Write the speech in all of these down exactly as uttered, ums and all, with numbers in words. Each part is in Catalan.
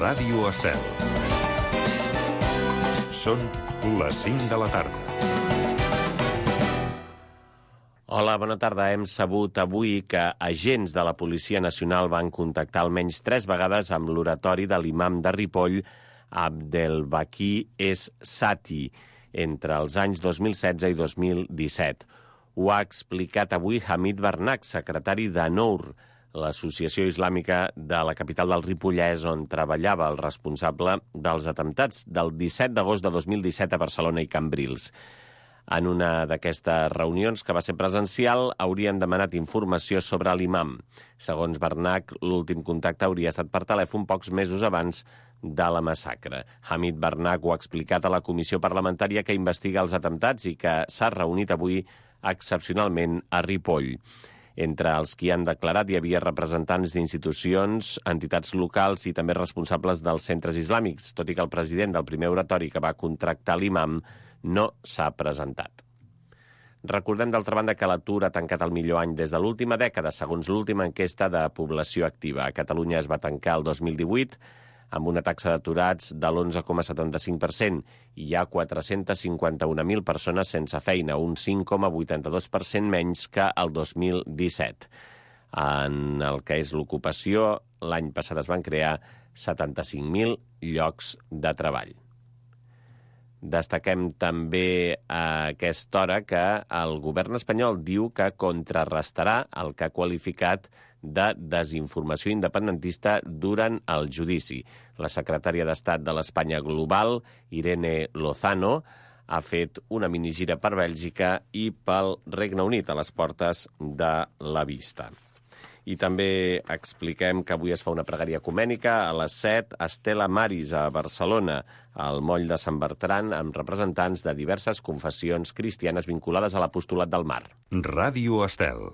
Ràdio Estel. Són les cinc de la tarda. Hola, bona tarda. Hem sabut avui que agents de la Policia Nacional van contactar almenys tres vegades amb l'oratori de l'imam de Ripoll, Abdelbaki Es Sati, entre els anys dos mil setze i dos mil disset. Ho ha explicat avui Hamid Barnak, secretari d'ANOUR, l'associació islàmica de la capital del Ripollès, on treballava el responsable dels atemptats del disset d'agost de dos mil disset a Barcelona i Cambrils. En una d'aquestes reunions, que va ser presencial, haurien demanat informació sobre l'imam. Segons Barnak, l'últim contacte hauria estat per telèfon pocs mesos abans de la massacre. Hamid Barnak ho ha explicat a la comissió parlamentària que investiga els atemptats i que s'ha reunit avui excepcionalment a Ripoll. Entre els qui han declarat hi havia representants d'institucions, entitats locals i també responsables dels centres islàmics, tot i que el president del primer oratori que va contractar l'imam no s'ha presentat. Recordem, d'altra banda, que l'atur ha tancat el millor any des de l'última dècada, segons l'última enquesta de població activa. A Catalunya es va tancar el dos mil divuit amb una taxa d'aturats de l'onze coma setanta-cinc per cent i hi ha quatre-cents cinquanta-un mil persones sense feina, un cinc coma vuitanta-dos per cent menys que el dos mil disset. En el que és l'ocupació, l'any passat es van crear setanta-cinc mil llocs de treball. Destaquem també a aquesta hora que el govern espanyol diu que contrarrestarà el que ha qualificat de desinformació independentista durant el judici. La secretària d'Estat de l'Espanya Global, Irene Lozano, ha fet una minigira per Bèlgica i pel Regne Unit a les portes de la vista. I també expliquem que avui es fa una pregària ecumènica a les set a Stella Maris, a Barcelona, al moll de Sant Bertran, amb representants de diverses confessions cristianes vinculades a l'apostolat del mar. Ràdio Estel.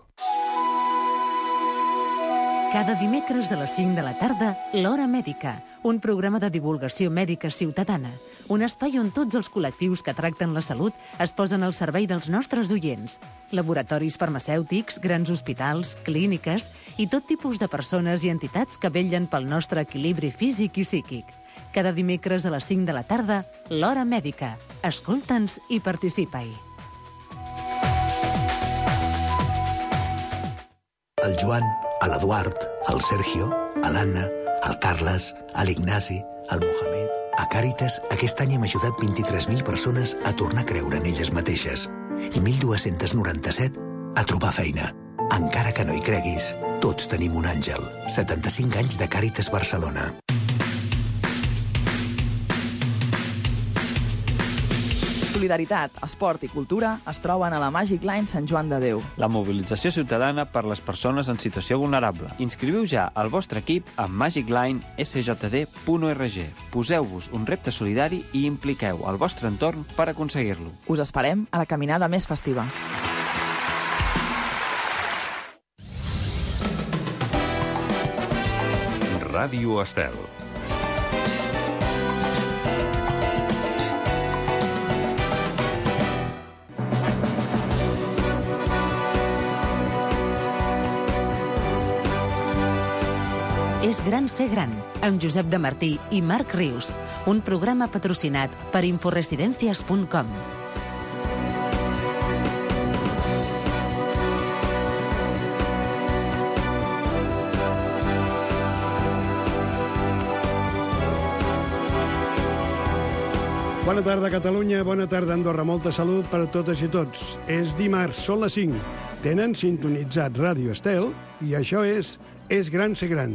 Cada dimecres a les cinc de la tarda, l'Hora Mèdica, un programa de divulgació mèdica ciutadana, un espai on tots els col·lectius que tracten la salut es posen al servei dels nostres oients. Laboratoris farmacèutics, grans hospitals, clíniques i tot tipus de persones i entitats que vetllen pel nostre equilibri físic i psíquic. Cada dimecres a les cinc de la tarda, l'Hora Mèdica. Escolta'ns i participa-hi. El Joan, l'Eduard, el Sergio, l'Anna, el Carles, l'Ignasi, el Mohamed... A Càritas, aquest any hem ajudat vint-i-tres mil persones a tornar a creure en elles mateixes i mil dos-cents noranta-set a trobar feina. Encara que no hi creguis, tots tenim un àngel. setanta-cinc anys de Càritas Barcelona. Solidaritat, esport i cultura es troben a la Magic Line Sant Joan de Déu. La mobilització ciutadana per les persones en situació vulnerable. Inscriviu ja el vostre equip a magic line s j d punt org. Poseu-vos un repte solidari i impliqueu el vostre entorn per aconseguir-lo. Us esperem a la caminada més festiva. Ràdio Estel. És gran ser gran, amb Josep de Martí i Marc Rius, un programa patrocinat per inforesidencias punt com. Bona tarda, Catalunya, bona tarda, Andorra. Molta salut per a totes i tots. És dimarts, són les cinc. Tenen sintonitzat Ràdio Estel i això és És gran ser gran.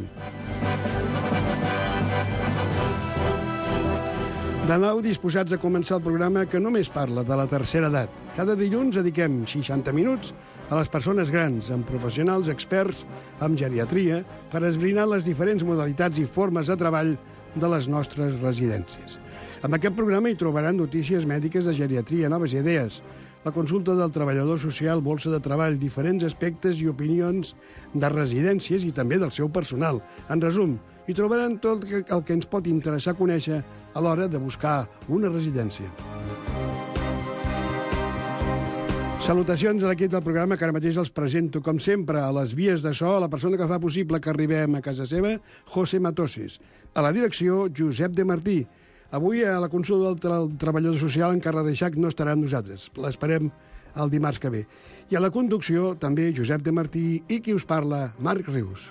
De nou, disposats a començar el programa que només parla de la tercera edat. Cada dilluns dediquem seixanta minuts a les persones grans, amb professionals experts en geriatria, per esbrinar les diferents modalitats i formes de treball de les nostres residències. En aquest programa hi trobaran notícies mèdiques de geriatria, noves idees, la consulta del treballador social, bolsa de treball, diferents aspectes i opinions de residències i també del seu personal. En resum, hi trobaran tot el que ens pot interessar conèixer a l'hora de buscar una residència. Salutacions a l'equip del programa, que ara mateix els presento, com sempre, a les vies de so, a la persona que fa possible que arribem a casa seva, José Matoses. A la direcció, Josep de Martí. Avui, a la consulta del tra treballador social, en Carles Reixac no estarà amb nosaltres. L'esperem el dimarts que ve. I a la conducció, també, Josep de Martí, i qui us parla, Marc Rius.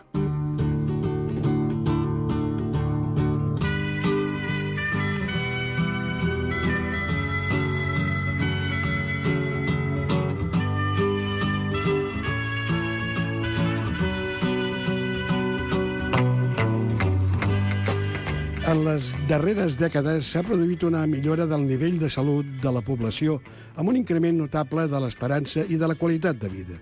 En les darreres dècades s'ha produït una millora del nivell de salut de la població amb un increment notable de l'esperança i de la qualitat de vida.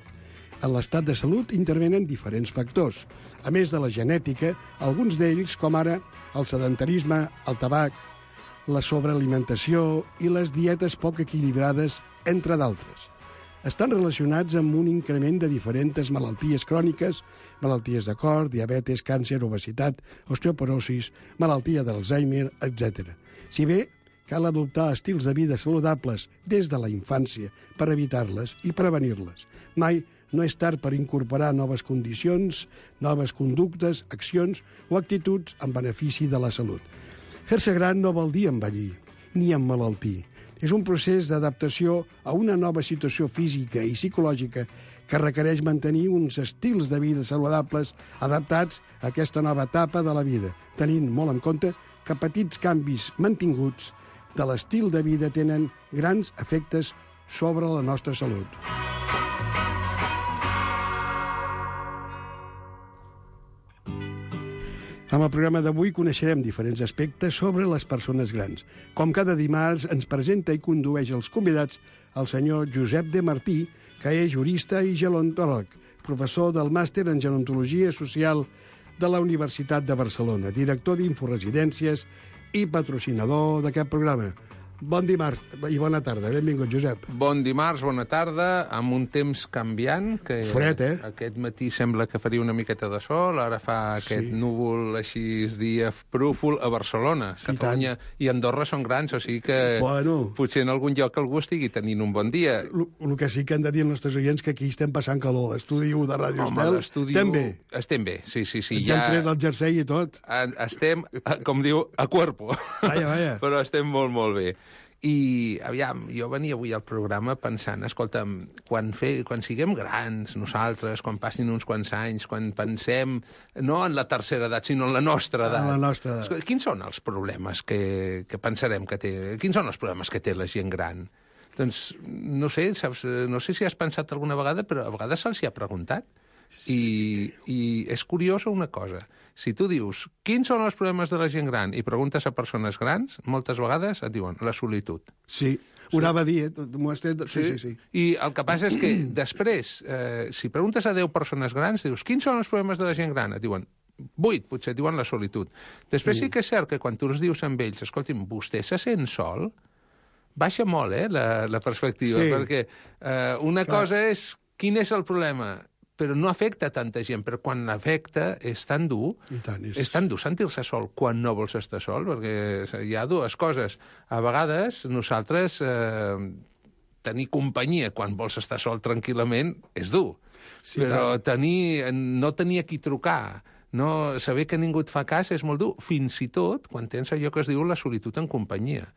En l'estat de salut intervenen diferents factors. A més de la genètica, alguns d'ells, com ara el sedentarisme, el tabac, la sobrealimentació i les dietes poc equilibrades, entre d'altres. Estan relacionats amb un increment de diferents malalties cròniques, malalties de cor, diabetes, càncer, obesitat, osteoporosis, malaltia d'Alzheimer, etcètera. Si bé cal adoptar estils de vida saludables des de la infància per evitar-les i prevenir-les. Mai no és tard per incorporar noves condicions, noves conductes, accions o actituds en benefici de la salut. Fer-se gran no vol dir envellir, ni emmalaltir. És un procés d'adaptació a una nova situació física i psicològica que requereix mantenir uns estils de vida saludables adaptats a aquesta nova etapa de la vida, tenint molt en compte que petits canvis mantinguts de l'estil de vida tenen grans efectes sobre la nostra salut. Amb el programa d'avui coneixerem diferents aspectes sobre les persones grans. Com cada dimarts ens presenta i condueix els convidats el senyor Josep de Martí, que és jurista i gerontòleg, professor del màster en gerontologia social de la Universitat de Barcelona, director d'Inforesidències i patrocinador d'aquest programa. Bon dimarts i bona tarda. Benvingut, Josep. Bon dimarts, bona tarda, amb un temps canviant, que fred, eh? Aquest matí sembla que faria una miqueta de sol, ara fa aquest sí. núvol així dia prúfol a Barcelona. Sí, Catalunya tant. I Andorra són grans, o sigui que bueno, potser en algun lloc algú estigui tenint un bon dia. El que sí que han de dir els nostres oients que aquí estem passant calor. L'estudi u de Ràdio Estel, estem bé. Estem bé, sí, sí. sí. Ens ja hem tret el jersei i tot. Estem, com diu, a cuerpo. Vaja, vaja. Però estem molt, molt bé. I, aviam, jo venia avui al programa pensant, escolta'm, quan, fe, quan siguem grans, nosaltres, quan passin uns quants anys, quan pensem, no en la tercera edat, sinó en la nostra edat. En la nostra edat. Escolta, quins són els problemes que, que pensarem que té? Quins són els problemes que té la gent gran? Doncs, no sé, saps, no sé si has pensat alguna vegada, però a vegades se'ls hi ha preguntat. I, I és curiosa una cosa. Si tu dius, quins són els problemes de la gent gran, i preguntes a persones grans, moltes vegades et diuen la solitud. Sí, ho anava a dir, eh? Sí, sí, sí, sí. I el que passa és que després, eh, si preguntes a deu persones grans, dius, quins són els problemes de la gent gran? Et diuen, vuit, potser et diuen la solitud. Després sí, sí que és cert que quan tu els dius amb ells, escolti'm, vostè se sent sol? Baixa molt, eh, la, la perspectiva, sí. Perquè eh, una Clar. cosa és, quin és el problema? Però no afecta tanta gent, però quan l'afecta és tan dur, tant, és... és tan dur sentir-se sol quan no vols estar sol, perquè hi ha dues coses. A vegades nosaltres eh, tenir companyia quan vols estar sol tranquil·lament és dur, sí, però tenir, no tenir a qui trucar, no, saber que ningú et fa cas és molt dur, fins i tot quan tens allò que es diu la solitud en companyia,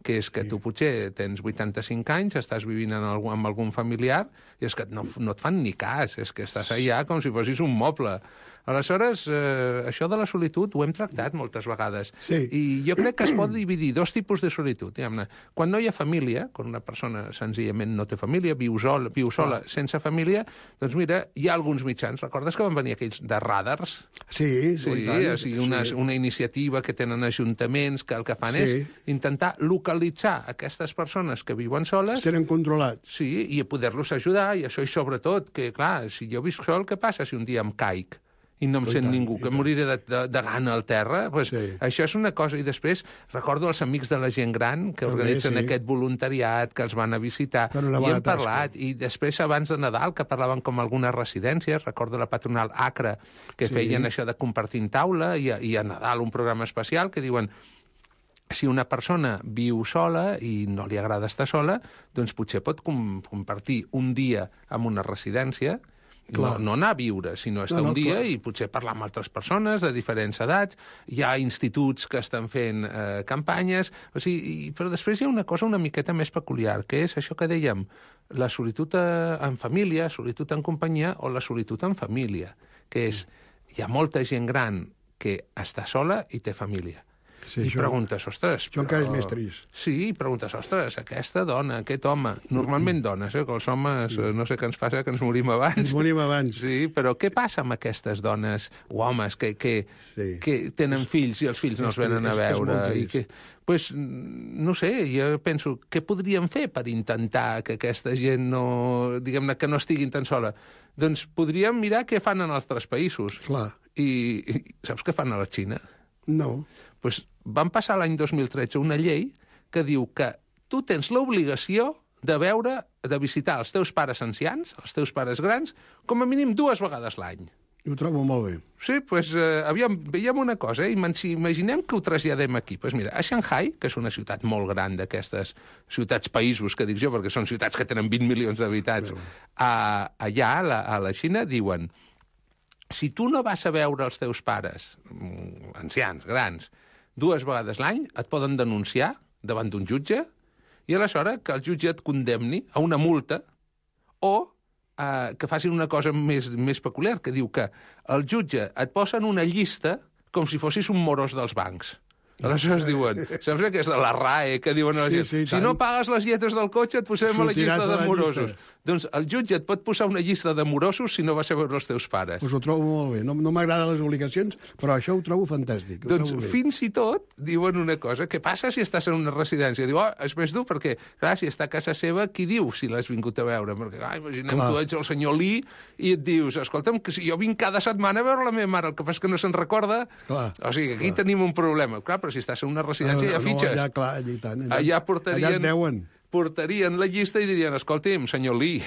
que és que sí. tu potser tens vuitanta-cinc anys, estàs vivint en algun, amb algun familiar, i és que no, no et fan ni cas, és que estàs allà com si fossis un moble. Aleshores, eh, això de la solitud ho hem tractat moltes vegades. Sí. I jo crec que es pot dividir dos tipus de solitud. Diguem-ne. Quan no hi ha família, quan una persona senzillament no té família, viu sola, viu sola ah. sense família, doncs mira, hi ha alguns mitjans. Recordes que van venir aquells de radars? Sí, sí. Tant, o sigui, una, sí. una iniciativa que tenen ajuntaments que el que fan sí. és intentar localitzar aquestes persones que viuen soles. Es tenen controlats. Sí, i poder-los ajudar, i això, i sobretot, que clar, si jo visc sol, què passa si un dia em caic? I no em sent ningú, que moriré de, de, de gana al terra, pues, sí. Això és una cosa. I després recordo els amics de la gent gran que organitzen sí. aquest voluntariat, que els van a visitar, i hem parlat. Tasca. I després, abans de Nadal, que parlaven com algunes residències, recordo la patronal Acra, que sí. feien això de compartir taula, i a, i a Nadal un programa especial, que diuen si una persona viu sola i no li agrada estar sola, doncs potser pot com compartir un dia en una residència, no, no anar a viure, sinó estar no, no, un dia clar. I potser parlar amb altres persones de diferents edats. Hi ha instituts que estan fent eh, campanyes, o sigui, però després hi ha una cosa una miqueta més peculiar, que és això que dèiem, la solitud en família, solitud en companyia o la solitud en família, que és, hi ha molta gent gran que està sola i té família. Sí, I això, preguntes, ostres... Això encara és més trist. Sí, i preguntes, ostres, aquesta dona, aquest home... Normalment dones, eh? Que els homes, sí. No sé què ens passa, que ens morim abans. Ens morim abans. Sí, però què passa amb aquestes dones o homes que, que, sí. que tenen fills i els fills no els venen a veure? I que, pues, no sé, jo penso, què podríem fer per intentar que aquesta gent no... diguem-ne, que no estiguin tan sola? Doncs podríem mirar què fan en altres països. Clar. I, i saps què fan a la Xina? No. Pues van passar l'any dos mil tretze una llei que diu que tu tens l'obligació de veure, de visitar els teus pares ancians, els teus pares grans, com a mínim dues vegades l'any. Ho trobo molt bé. Sí, doncs, pues, eh, aviam, veiem una cosa, eh? Imaginem que ho traslladem aquí. Doncs pues mira, a Shanghai, que és una ciutat molt gran d'aquestes ciutats-països, que dic jo, perquè són ciutats que tenen vint milions d'habitants, a, allà, a la, a la Xina, diuen... Si tu no vas a veure els teus pares, ancians, grans, dues vegades l'any, et poden denunciar davant d'un jutge i aleshores que el jutge et condemni a una multa o eh, que facin una cosa més, més peculiar, que diu que el jutge et posa en una llista com si fossis un morós dels bancs. Aleshores diuen, saps aquesta, la R A E, que diuen a la gent, sí, sí, si no pagues les lletres del cotxe et posem a la llista de morosos. Doncs el jutge et pot posar una llista de morosos si no vas a veure els teus pares. Pues ho trobo molt bé. No, no m'agraden les obligacions, però això ho trobo fantàstic. Ho doncs trobo fins i tot diuen una cosa, què passa si estàs en una residència? Diu, oh, és més dur perquè, clar, si està a casa seva, qui diu si l'has vingut a veure? Perquè, clar, imaginem, clar. Tu ets el senyor Lee i et dius, escolta'm, que si jo vinc cada setmana a veure la meva mare, el que fa és que no se'n recorda. Clar. O sigui, aquí clar. Tenim un problema. Clar, però si estàs en una residència, no, hi ha fitxes. No, allà, clar, allà, tant, allà, allà portarien... Allà et veuen. portarien la llista i dirien, escolti'm, senyor Lee,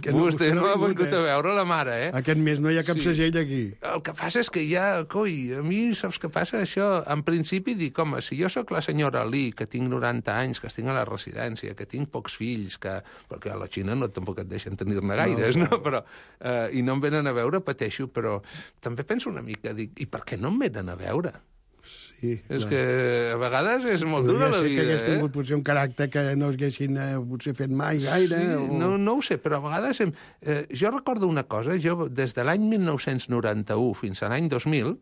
no, vostè no ha vingut a veure la mare, eh? Aquest mes no hi ha cap sí. segell aquí. El que passa és que hi ha... Coi, a mi, saps què passa? Això, en principi, dic, home, si jo sóc la senyora Lee, que tinc noranta anys, que estic a la residència, que tinc pocs fills, que... perquè a la Xina no tampoc et deixen tenir-ne gaires, no? no? Però, eh, i no em venen a veure, pateixo, però també penso una mica, dic, i per què no em venen a veure? Sí, és clar. que a vegades és molt dura la vida, que hagués eh? tingut potser un caràcter que no haguessin eh, potser fet mai gaire. Sí, o... no, no ho sé, però a vegades... Hem... Eh, jo recordo una cosa, jo des de l'any mil nou-cents noranta-u fins a l'any dos mil,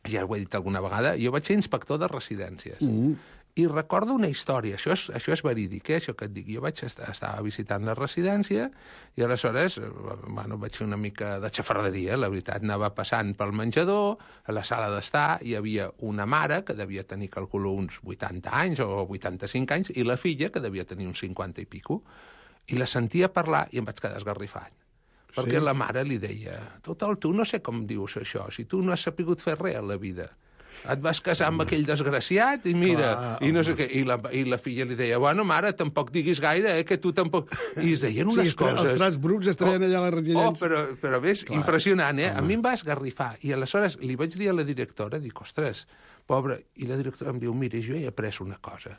ja ho he dit alguna vegada, jo vaig ser inspector de residències. Mm. I recordo una història, això és, això és verídic, eh, això que et dic. Jo vaig estar, estava visitant la residència i aleshores bueno, vaig fer una mica de xafarderia, la veritat. Anava passant pel menjador, a la sala d'estar hi havia una mare que devia tenir, calculo, uns vuitanta anys o vuitanta-cinc anys, i la filla que devia tenir uns cinquanta i pico. I la sentia parlar i em vaig quedar esgarrifat. Perquè sí? La mare li deia, total, tu no sé com dius això, si tu no has sapigut fer res a la vida. Et vas casar amb aquell desgraciat i mira, clar, i no sé què, i la, i la filla li deia, bueno, mare, tampoc diguis gaire, eh, que tu tampoc... I es deien unes sí, coses... Els trats bruts es treien oh, allà a la residència. Oh, però, però ves, clar, impressionant, eh? Home. A mi em va esgarrifar. I aleshores li vaig dir a la directora, dic, ostres, pobra... I la directora em diu, mira, jo he après una cosa.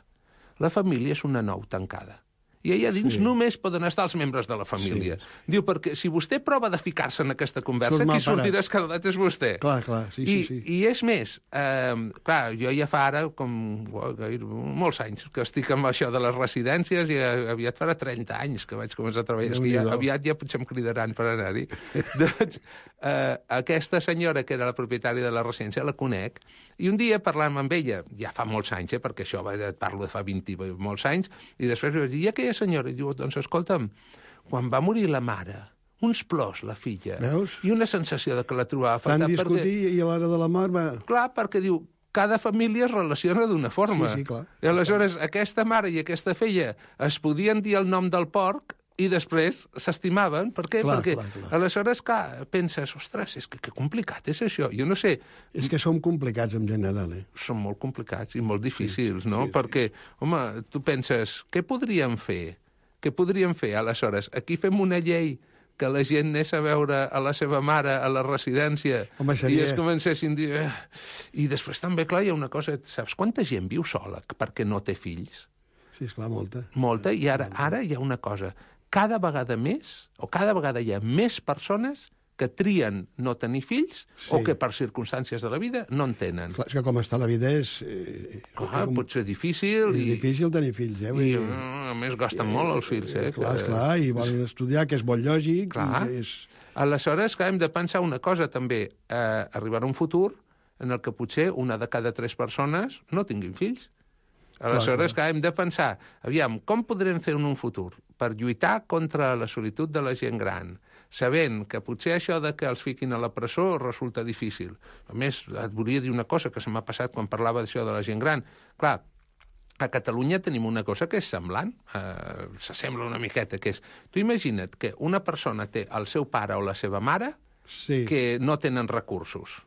La família és una nou tancada. I allà dins sí. només poden estar els membres de la família. Sí. Diu, perquè si vostè prova de ficar-se en aquesta conversa, qui sortirà escaldat és vostè. Clar, clar, sí, I, sí, sí. I és més, eh, clar, jo ja fa ara, com oh, gaire, molts anys, que estic amb això de les residències i aviat farà trenta anys que vaig començar a treballar. És que ja, aviat ja potser em cridaran per anar-hi. Doncs eh, aquesta senyora, que era la propietària de la residència, la conec, i un dia parlant amb ella, ja fa molts anys, eh, perquè això et parlo de fa vint i molts anys, i després vaig dir, i aquella senyora, i diu, doncs escolta'm, quan va morir la mare, uns plors, la filla, veus? I una sensació de que la trobava fatal. Van discutir perquè... i a l'hora de la mort va... Clar, perquè diu, cada família es relaciona d'una forma. Sí, sí, clar. I aleshores, aquesta mare i aquesta filla es podien dir el nom del porc i després s'estimaven. Per què? Clar, Perquè clar, clar. aleshores, clar, penses, ostres, és que, que complicat és això. Jo no sé... És que som complicats en general, eh? Són molt complicats i molt difícils, sí, no? Sí, Perquè, sí. home, tu penses, què podríem fer? Què podríem fer, aleshores? Aquí fem una llei que la gent anés a veure a la seva mare a la residència Home, seria... i es comencessin a dir... Eh. I després també, clar, hi ha una cosa... Saps quanta gent viu sola perquè no té fills? Sí, esclar, molta. Molta, i ara, ara hi ha una cosa. Cada vegada més, o cada vegada hi ha més persones que trien no tenir fills sí. o que per circumstàncies de la vida no en tenen. Clar, és que com està la vida és... Eh, clar, com... pot ser difícil. És i... difícil tenir fills, eh? I, I, a més, gasten eh, molt els fills, eh? Clar, que... clar, i volen estudiar, que és molt lògic. Clar. I és... Aleshores, clar, hem de pensar una cosa, també. Eh, arribarà un futur en el que potser una de cada tres persones no tinguin fills. Aleshores, clar, clar, hem de pensar, aviam, com podrem fer en un futur per lluitar contra la solitud de la gent gran, sabent que potser això de que els fiquin a la presó resulta difícil. A més, et volia dir una cosa que se m'ha passat quan parlava d'això de la gent gran. Clar, a Catalunya tenim una cosa que és semblant, eh, s'assembla una miqueta, que és... Tu imagina't que una persona té el seu pare o la seva mare sí. que no tenen recursos.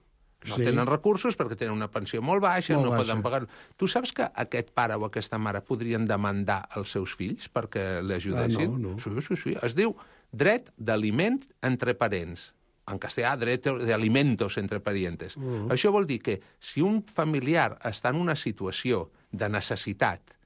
No sí. tenen recursos perquè tenen una pensió molt baixa, molt no baixa. poden pagar... Tu saps que aquest pare o aquesta mare podrien demandar els seus fills perquè l'ajudessin? Ah, no, no. Sí, sí, sí. Es diu dret d'aliment entre parents. En castellà, dret d'alimentos entre parientes. Uh -huh. Això vol dir que si un familiar està en una situació de necessitat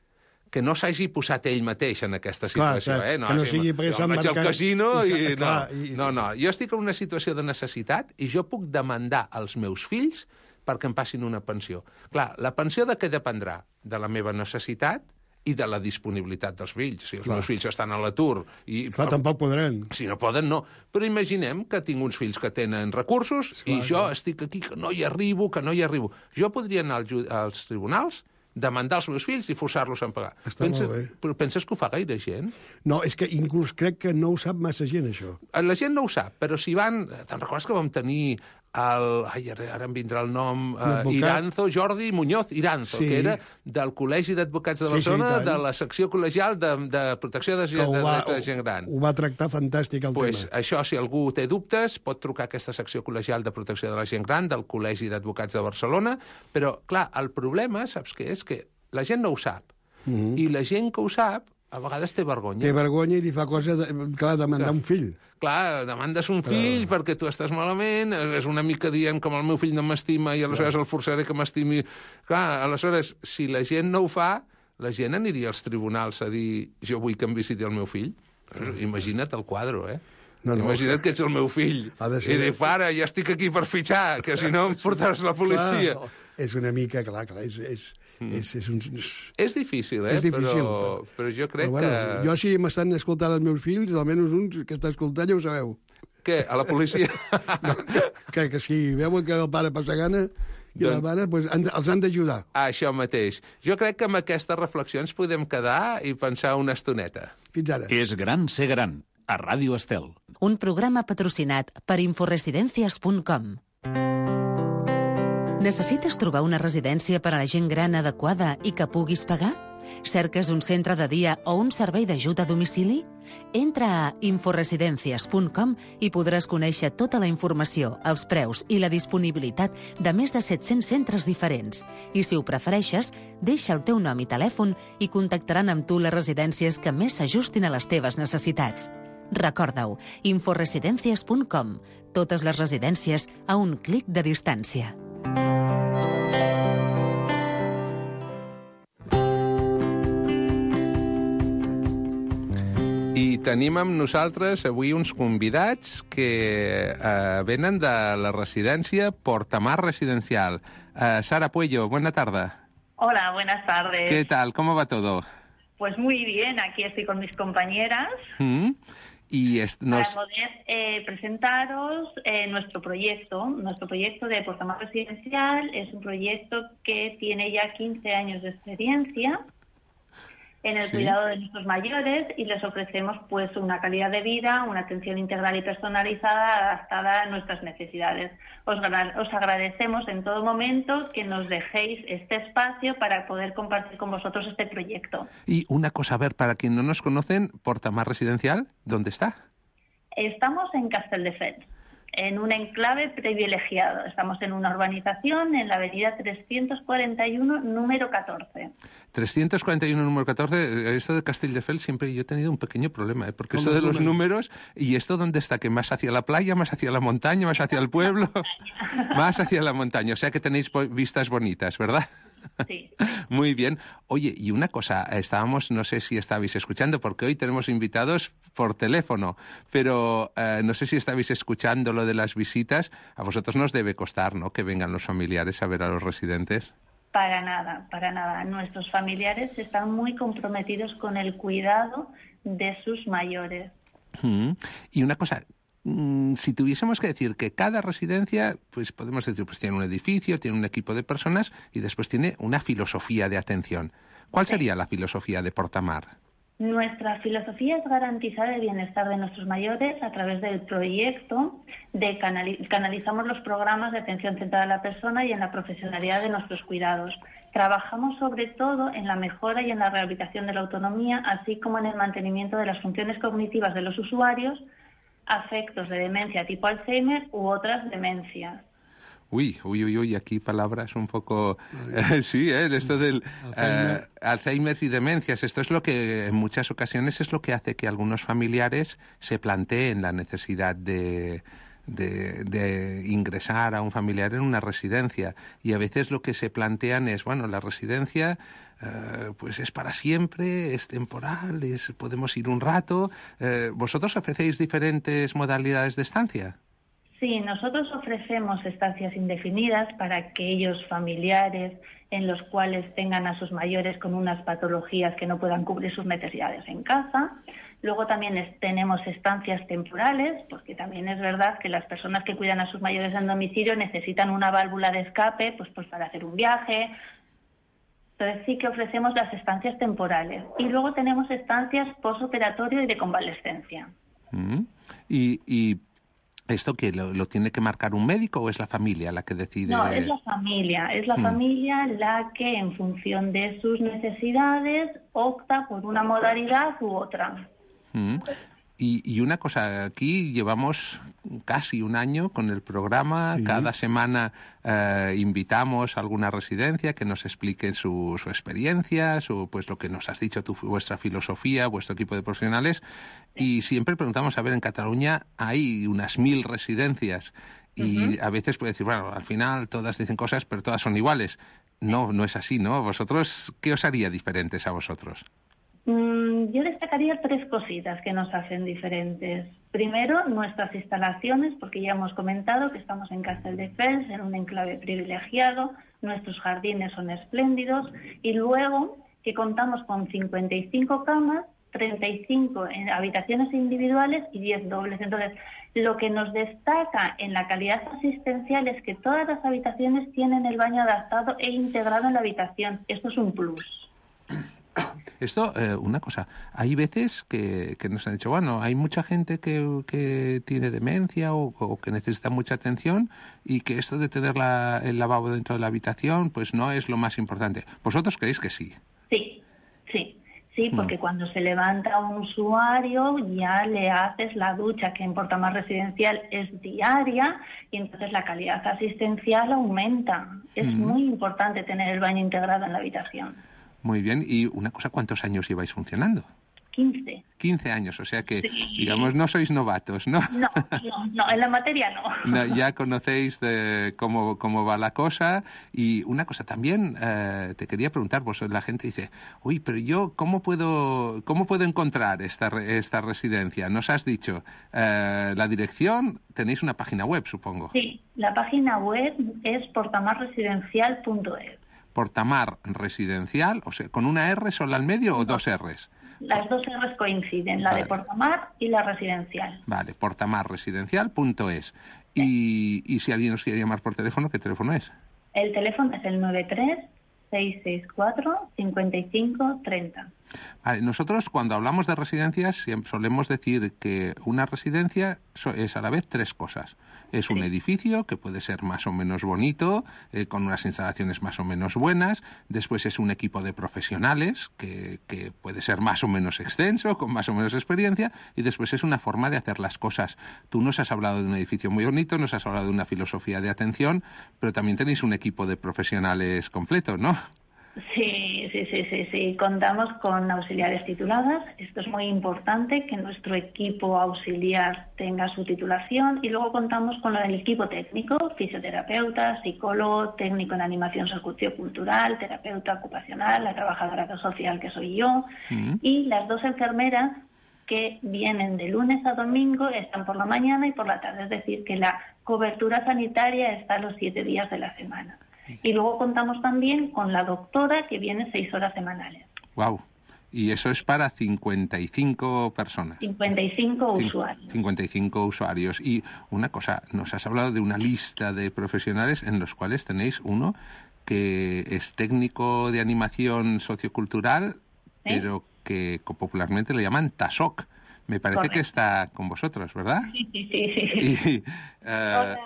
que no s'hagi posat ell mateix en aquesta situació, clar, eh? No, que no sí, sigui jo vaig marcat... al casino i... i... No, Clar, i... no, no, jo estic en una situació de necessitat i jo puc demandar als meus fills perquè em passin una pensió. Clar, la pensió de què dependrà? De la meva necessitat i de la disponibilitat dels fills. Si els clar. meus fills estan a l'atur... i Clar, tampoc podran. Si no poden, no. Però imaginem que tinc uns fills que tenen recursos clar, i jo clar. estic aquí, que no hi arribo, que no hi arribo. Jo podria anar als, als tribunals, demandar els meus fills i forçar-los a pagar. Està penses, molt bé. Però penses que ho fa gaire gent? No, és que inclús crec que no ho sap massa gent, això. La gent no ho sap, però si van... Te'n recordes que vam tenir el... Ai, ara, ara em vindrà el nom... Uh, Iranzo, Jordi Muñoz Iranzo, sí. que era del Col·legi d'Advocats de Barcelona, sí, sí, de la secció col·legial de, de protecció de, gent, de, va, de gent gran. Ho va tractar fantàstic, el pues, tema. Això, si algú té dubtes, pot trucar a aquesta secció col·legial de protecció de la gent gran del Col·legi d'Advocats de Barcelona, però, clar, el problema, saps què és? Que la gent no ho sap. Uh -huh. I la gent que ho sap, a vegades té vergonya. Té vergonya i li fa cosa, de, clar, demandar clar. un fill. Clar, demandes un fill Però... perquè tu estàs malament, és una mica dient com el meu fill no m'estima i aleshores clar. el forçaré que m'estimi. Clar, aleshores, si la gent no ho fa, la gent aniria als tribunals a dir jo vull que em visiti el meu fill. Imagina't el quadre, eh? No, no. Imagina't que ets el meu fill. I dic, pare, ja estic aquí per fitxar, que si no em portaràs la policia. Clar, és una mica, clar, clar, és... és... Mm. És, és, un... és difícil, eh? És difícil, però, però jo crec però, bueno, que... Jo, si m'estan escoltant els meus fills, almenys uns que està escoltant ja ho sabeu. Què? A la policia? No, que, que si veuen que el pare passa gana i doncs... la mare, pues, han, els han d'ajudar. Això mateix. Jo crec que amb aquestes reflexions podem quedar i pensar una estoneta. Fins ara. És gran ser gran, a Ràdio Estel. Un programa patrocinat per inforesidencias punt com. Necessites trobar una residència per a la gent gran adequada i que puguis pagar? Cerques un centre de dia o un servei d'ajut a domicili? Entra a inforesidencias punt com i podràs conèixer tota la informació, els preus i la disponibilitat de més de set-cents centres diferents. I si ho prefereixes, deixa el teu nom i telèfon i contactaran amb tu les residències que més s'ajustin a les teves necessitats. Recorda-ho, inforesidencias punt com. Totes les residències a un clic de distància. I tenim amb nosaltres avui uns convidats que eh, venen de la residència Portamar Residencial. Eh, Sara Puello, buena tarda. Hola, buenas tardes. ¿Qué tal? ¿Cómo va todo? Pues muy bien, aquí estoy con mis compañeras. ¿Mm? Y es, nos... Para poder eh, presentaros eh, nuestro proyecto. Nuestro proyecto de Portamar Residencial es un proyecto que tiene ya quince años de experiencia en el ¿Sí? cuidado de nuestros mayores y les ofrecemos pues una calidad de vida, una atención integral y personalizada adaptada a nuestras necesidades. Os, os agradecemos en todo momento que nos dejéis este espacio para poder compartir con vosotros este proyecto. Y una cosa, a ver, para quien no nos conocen, Portamar Residencial, ¿dónde está? Estamos en Castelldefels. en un enclave privilegiado. Estamos en una urbanización en la avenida trescientos cuarenta y uno, número catorce. trescientos cuarenta y uno, número catorce, esto de Castelldefels siempre yo he tenido un pequeño problema, ¿eh? Porque esto de los números, ¿y esto dónde está? ¿Que más hacia la playa, más hacia la montaña, más hacia el pueblo? Más hacia la montaña, o sea que tenéis vistas bonitas, ¿verdad? Sí. Muy bien. Oye, y una cosa, estábamos, no sé si estabais escuchando, porque hoy tenemos invitados por teléfono, pero eh, no sé si estabais escuchando lo de las visitas. A vosotros nos debe costar, ¿no?, que vengan los familiares a ver a los residentes. Para nada, para nada. Nuestros familiares están muy comprometidos con el cuidado de sus mayores. Mm. Y una cosa, si tuviésemos que decir que cada residencia, pues podemos decir, pues tiene un edificio, tiene un equipo de personas y después tiene una filosofía de atención. ¿Cuál sería la filosofía de Portamar? Nuestra filosofía es garantizar el bienestar de nuestros mayores a través del proyecto de canali- canalizamos los programas de atención centrada a la persona y en la profesionalidad de nuestros cuidados. Trabajamos sobre todo en la mejora y en la rehabilitación de la autonomía, así como en el mantenimiento de las funciones cognitivas de los usuarios, afectos de demencia tipo Alzheimer u otras demencias. Uy, uy, uy, uy, aquí palabras un poco... Eh, sí, ¿eh? Esto del Alzheimer. Eh, Alzheimer y demencias. Esto es lo que en muchas ocasiones es lo que hace que algunos familiares se planteen la necesidad de, de, de ingresar a un familiar en una residencia. Y a veces lo que se plantean es, bueno, la residencia... Uh, pues es para siempre, es temporal, es, podemos ir un rato. Uh, ¿Vosotros ofrecéis diferentes modalidades de estancia? Sí, nosotros ofrecemos estancias indefinidas para aquellos familiares en los cuales tengan a sus mayores con unas patologías que no puedan cubrir sus necesidades en casa. Luego también es, tenemos estancias temporales, porque también es verdad que las personas que cuidan a sus mayores en domicilio necesitan una válvula de escape, pues, pues para hacer un viaje. Entonces sí que ofrecemos las estancias temporales. Y luego tenemos estancias postoperatorio y de convalescencia. Mm. ¿Y, y esto qué? ¿Lo, ¿Lo tiene que marcar un médico o es la familia la que decide? No, es la familia. Es la mm. familia la que, en función de sus necesidades, opta por una modalidad u otra. Mm. Y, y una cosa, aquí llevamos casi un año con el programa. Sí. Cada semana eh, invitamos a alguna residencia que nos explique su, su experiencia, su, pues lo que nos has dicho, tu, vuestra filosofía, vuestro equipo de profesionales. Y siempre preguntamos, a ver, en Cataluña hay unas mil residencias y uh-huh. a veces puede decir, bueno, al final todas dicen cosas, pero todas son iguales. No, no es así, ¿no? ¿Vosotros qué os haría diferentes a vosotros? Yo destacaría tres cositas que nos hacen diferentes. Primero, nuestras instalaciones, porque ya hemos comentado que estamos en Castelldefels, en un enclave privilegiado, nuestros jardines son espléndidos, y luego que contamos con cincuenta y cinco camas, treinta y cinco en habitaciones individuales y diez dobles. Entonces, lo que nos destaca en la calidad asistencial es que todas las habitaciones tienen el baño adaptado e integrado en la habitación. Esto es un plus. Esto, eh, una cosa, hay veces que, que nos han dicho, bueno, hay mucha gente que, que tiene demencia o, o que necesita mucha atención y que esto de tener la, el lavabo dentro de la habitación pues no es lo más importante. ¿Vosotros creéis que sí? Sí, sí, sí, porque mm. cuando se levanta un usuario ya le haces la ducha, que en Portamar Residencial es diaria, y entonces la calidad asistencial aumenta. Es mm. muy importante tener el baño integrado en la habitación. Muy bien. Y una cosa, ¿cuántos años lleváis funcionando? quince. quince años, o sea que, sí. digamos, no sois novatos, ¿no? No, no, no, en la materia no. no ya conocéis de cómo, cómo va la cosa. Y una cosa también, eh, te quería preguntar, pues la gente dice, uy, pero yo, ¿cómo puedo cómo puedo encontrar esta, esta residencia? Nos has dicho, eh, la dirección, tenéis una página web, supongo. Sí, la página web es portamar residencial punto es. Portamar Residencial, o sea, ¿con una R sola al medio o no. dos R's? Las dos R's coinciden, la vale. de Portamar y la residencial. Vale, portamar residencial punto es. Sí. Y, y si alguien nos quiere llamar por teléfono, ¿qué teléfono es? El teléfono es el nueve tres, seis seis cuatro, cinco cinco tres cero. Vale, nosotros cuando hablamos de residencias siempre solemos decir que una residencia es a la vez tres cosas. Es un edificio que puede ser más o menos bonito, eh, con unas instalaciones más o menos buenas. Después es un equipo de profesionales que, que puede ser más o menos extenso, con más o menos experiencia. Y después es una forma de hacer las cosas. Tú nos has hablado de un edificio muy bonito, nos has hablado de una filosofía de atención, pero también tenéis un equipo de profesionales completo, ¿no? Sí, sí, sí, sí, sí. Contamos con auxiliares tituladas. Esto es muy importante, que nuestro equipo auxiliar tenga su titulación. Y luego contamos con el equipo técnico, fisioterapeuta, psicólogo, técnico en animación sociocultural, terapeuta ocupacional, la trabajadora social que soy yo, mm. y las dos enfermeras que vienen de lunes a domingo, están por la mañana y por la tarde. Es decir, que la cobertura sanitaria está los siete días de la semana. Y luego contamos también con la doctora, que viene seis horas semanales. Wow. Y eso es para cincuenta y cinco personas. cincuenta y cinco usuarios. cincuenta y cinco usuarios. Y una cosa, nos has hablado de una lista de profesionales en los cuales tenéis uno que es técnico de animación sociocultural, ¿eh? Pero que popularmente le llaman T A S O C. Me parece Correcto. Que está con vosotros, ¿verdad? Sí, sí, sí. sí. Y, uh, hola.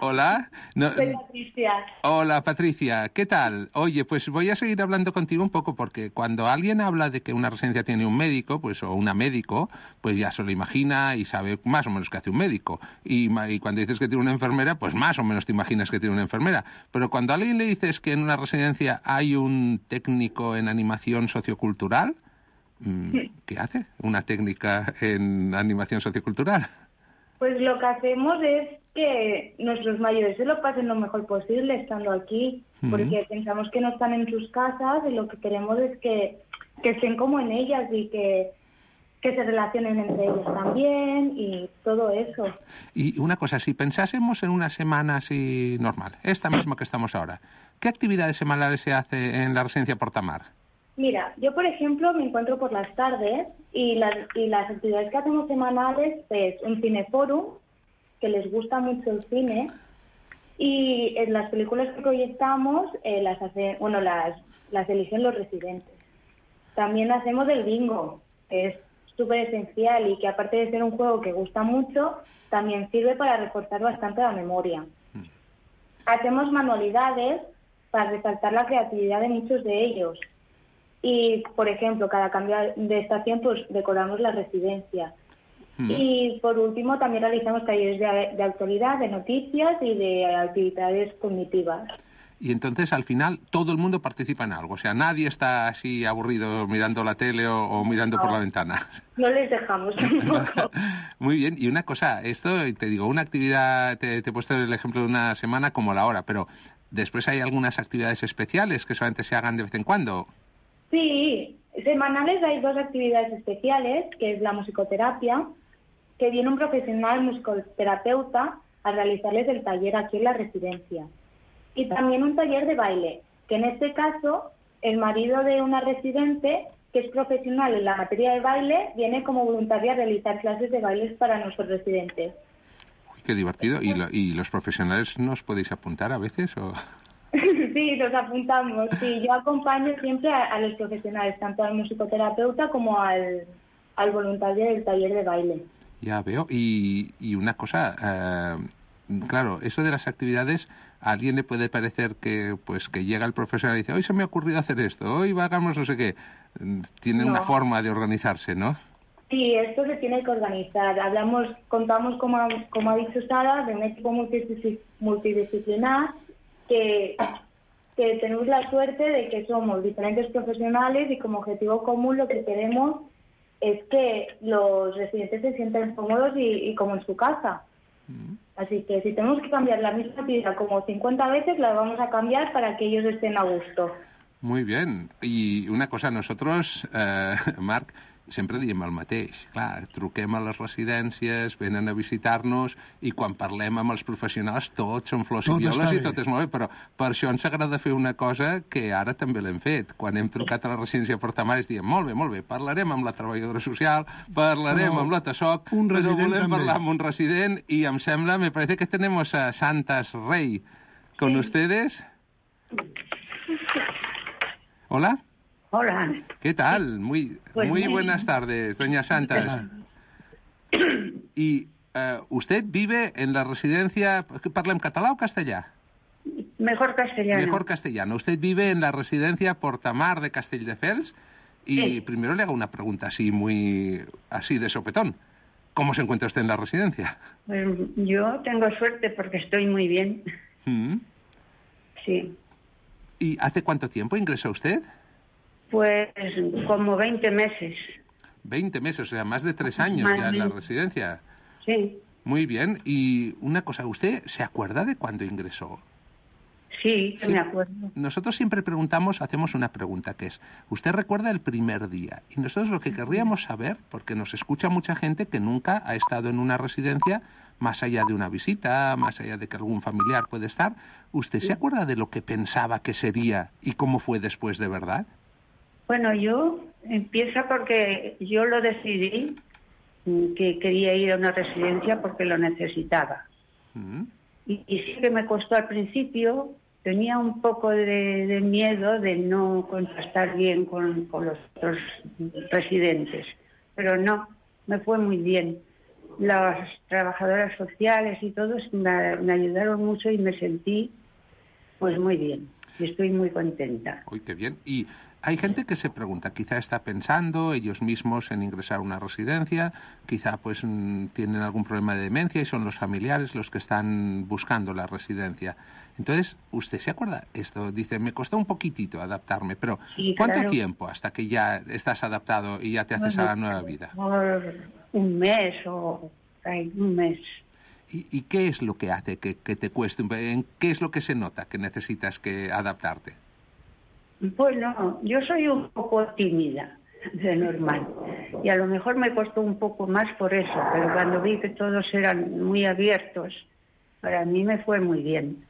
Hola. No, Soy Patricia. Hola, Patricia. ¿Qué tal? Oye, pues voy a seguir hablando contigo un poco porque cuando alguien habla de que una residencia tiene un médico, pues o una médico, pues ya se lo imagina y sabe más o menos qué hace un médico. Y, y cuando dices que tiene una enfermera, pues más o menos te imaginas que tiene una enfermera. Pero cuando a alguien le dices que en una residencia hay un técnico en animación sociocultural, ¿qué hace una técnica en animación sociocultural? Pues lo que hacemos es que nuestros mayores se lo pasen lo mejor posible estando aquí, uh-huh. porque pensamos que no están en sus casas y lo que queremos es que, que estén como en ellas y que, que se relacionen entre ellos también y todo eso. Y una cosa, si pensásemos en una semana así normal, esta misma que estamos ahora, ¿qué actividades semanales se hace en la residencia Portamar? Mira, yo por ejemplo me encuentro por las tardes y las, y las actividades que hacemos semanales es un cineforum, que les gusta mucho el cine, y en las películas que proyectamos eh, las hace, bueno, las, las eligen los residentes. También hacemos el bingo, que es súper esencial y que aparte de ser un juego que gusta mucho, también sirve para reforzar bastante la memoria. Hacemos manualidades para resaltar la creatividad de muchos de ellos. Y, por ejemplo, cada cambio de estación, pues decoramos la residencia. Mm. Y, por último, también realizamos talleres de, de actualidad, de noticias y de actividades cognitivas. Y entonces, al final, todo el mundo participa en algo. O sea, nadie está así aburrido mirando la tele o, o mirando no, por la ventana. No les dejamos tampoco. Muy bien. Y una cosa, esto, te digo, una actividad, te, te he puesto el ejemplo de una semana como la hora, pero después hay algunas actividades especiales que solamente se hagan de vez en cuando. Sí, semanales hay dos actividades especiales, que es la musicoterapia, que viene un profesional musicoterapeuta a realizarles el taller aquí en la residencia. Y también un taller de baile, que en este caso el marido de una residente, que es profesional en la materia de baile, viene como voluntaria a realizar clases de bailes para nuestros residentes. Uy, qué divertido. ¿Y, lo, y los profesionales nos podéis apuntar a veces o...? Sí, nos apuntamos. Sí, yo acompaño siempre a, a los profesionales, tanto al musicoterapeuta como al, al voluntario del taller de baile. Ya veo. Y, y una cosa, eh, claro, eso de las actividades, a alguien le puede parecer que pues que llega el profesional y dice, hoy se me ha ocurrido hacer esto, hoy hagamos no sé qué. Tiene no. una forma de organizarse, ¿no? Sí, esto se tiene que organizar. Hablamos, contamos, como, como ha dicho Sara, de un equipo multidisciplinar, que, que tenemos la suerte de que somos diferentes profesionales y como objetivo común lo que queremos es que los residentes se sientan cómodos y, y como en su casa. Mm. Así que si tenemos que cambiar la misma actividad como cincuenta veces, la vamos a cambiar para que ellos estén a gusto. Muy bien. I una cosa, nosotros, eh, Marc, sempre diem el mateix. Clar, truquem a les residències, venen a visitar-nos i quan parlem amb els professionals tots són flors i violes i tot és molt bé, però per això ens agrada fer una cosa que ara també l'hem fet. Quan hem trucat a la residència Portamar es diem, molt bé, molt bé, parlarem amb la treballadora social, parlarem amb la T A S O C, però volem parlar amb un resident i em sembla, me parece que tenemos a Santas Rey con ustedes. Hola. Hola. ¿Qué tal? Muy, pues muy buenas tardes, doña Santas. Y eh, usted vive en la residencia... ¿Parla en català o castellà? Mejor castellano. Mejor castellano. Usted vive en la residencia Portamar de Castelldefels y sí. Primero le hago una pregunta así muy... así de sopetón. ¿Cómo se encuentra usted en la residencia? Pues yo tengo suerte porque estoy muy bien. ¿Mm? Sí. ¿Y hace cuánto tiempo ingresó usted? Pues como veinte meses. veinte meses, o sea, más de tres años más ya en la residencia. Sí. Muy bien. Y una cosa, ¿usted se acuerda de cuándo ingresó? Sí, sí, me acuerdo. Nosotros siempre preguntamos, hacemos una pregunta que es, ¿usted recuerda el primer día? Y nosotros lo que querríamos saber, porque nos escucha mucha gente que nunca ha estado en una residencia, más allá de una visita, más allá de que algún familiar puede estar, ¿usted se acuerda de lo que pensaba que sería y cómo fue después de verdad? Bueno, yo empieza porque yo lo decidí que quería ir a una residencia porque lo necesitaba. ¿Mm? Y, y sí que me costó al principio, tenía un poco de, de miedo de no contrastar bien con, con los otros residentes, pero no, me fue muy bien. Las trabajadoras sociales y todos me, me ayudaron mucho y me sentí pues muy bien. Y estoy muy contenta. Uy, qué bien. Y hay gente que se pregunta, quizá está pensando ellos mismos en ingresar a una residencia, quizá pues tienen algún problema de demencia y son los familiares los que están buscando la residencia. Entonces, ¿usted se acuerda? Esto dice, me costó un poquitito adaptarme, pero sí, ¿cuánto claro. tiempo hasta que ya estás adaptado y ya te haces bueno, a la nueva vida? Por un mes o ay, un mes. ¿Y, ¿Y qué es lo que hace que, que te cueste? ¿En qué es lo que se nota que necesitas que adaptarte? Bueno, yo soy un poco tímida, de normal, y a lo mejor me costó un poco más por eso, pero cuando vi que todos eran muy abiertos, para mí me fue muy bien.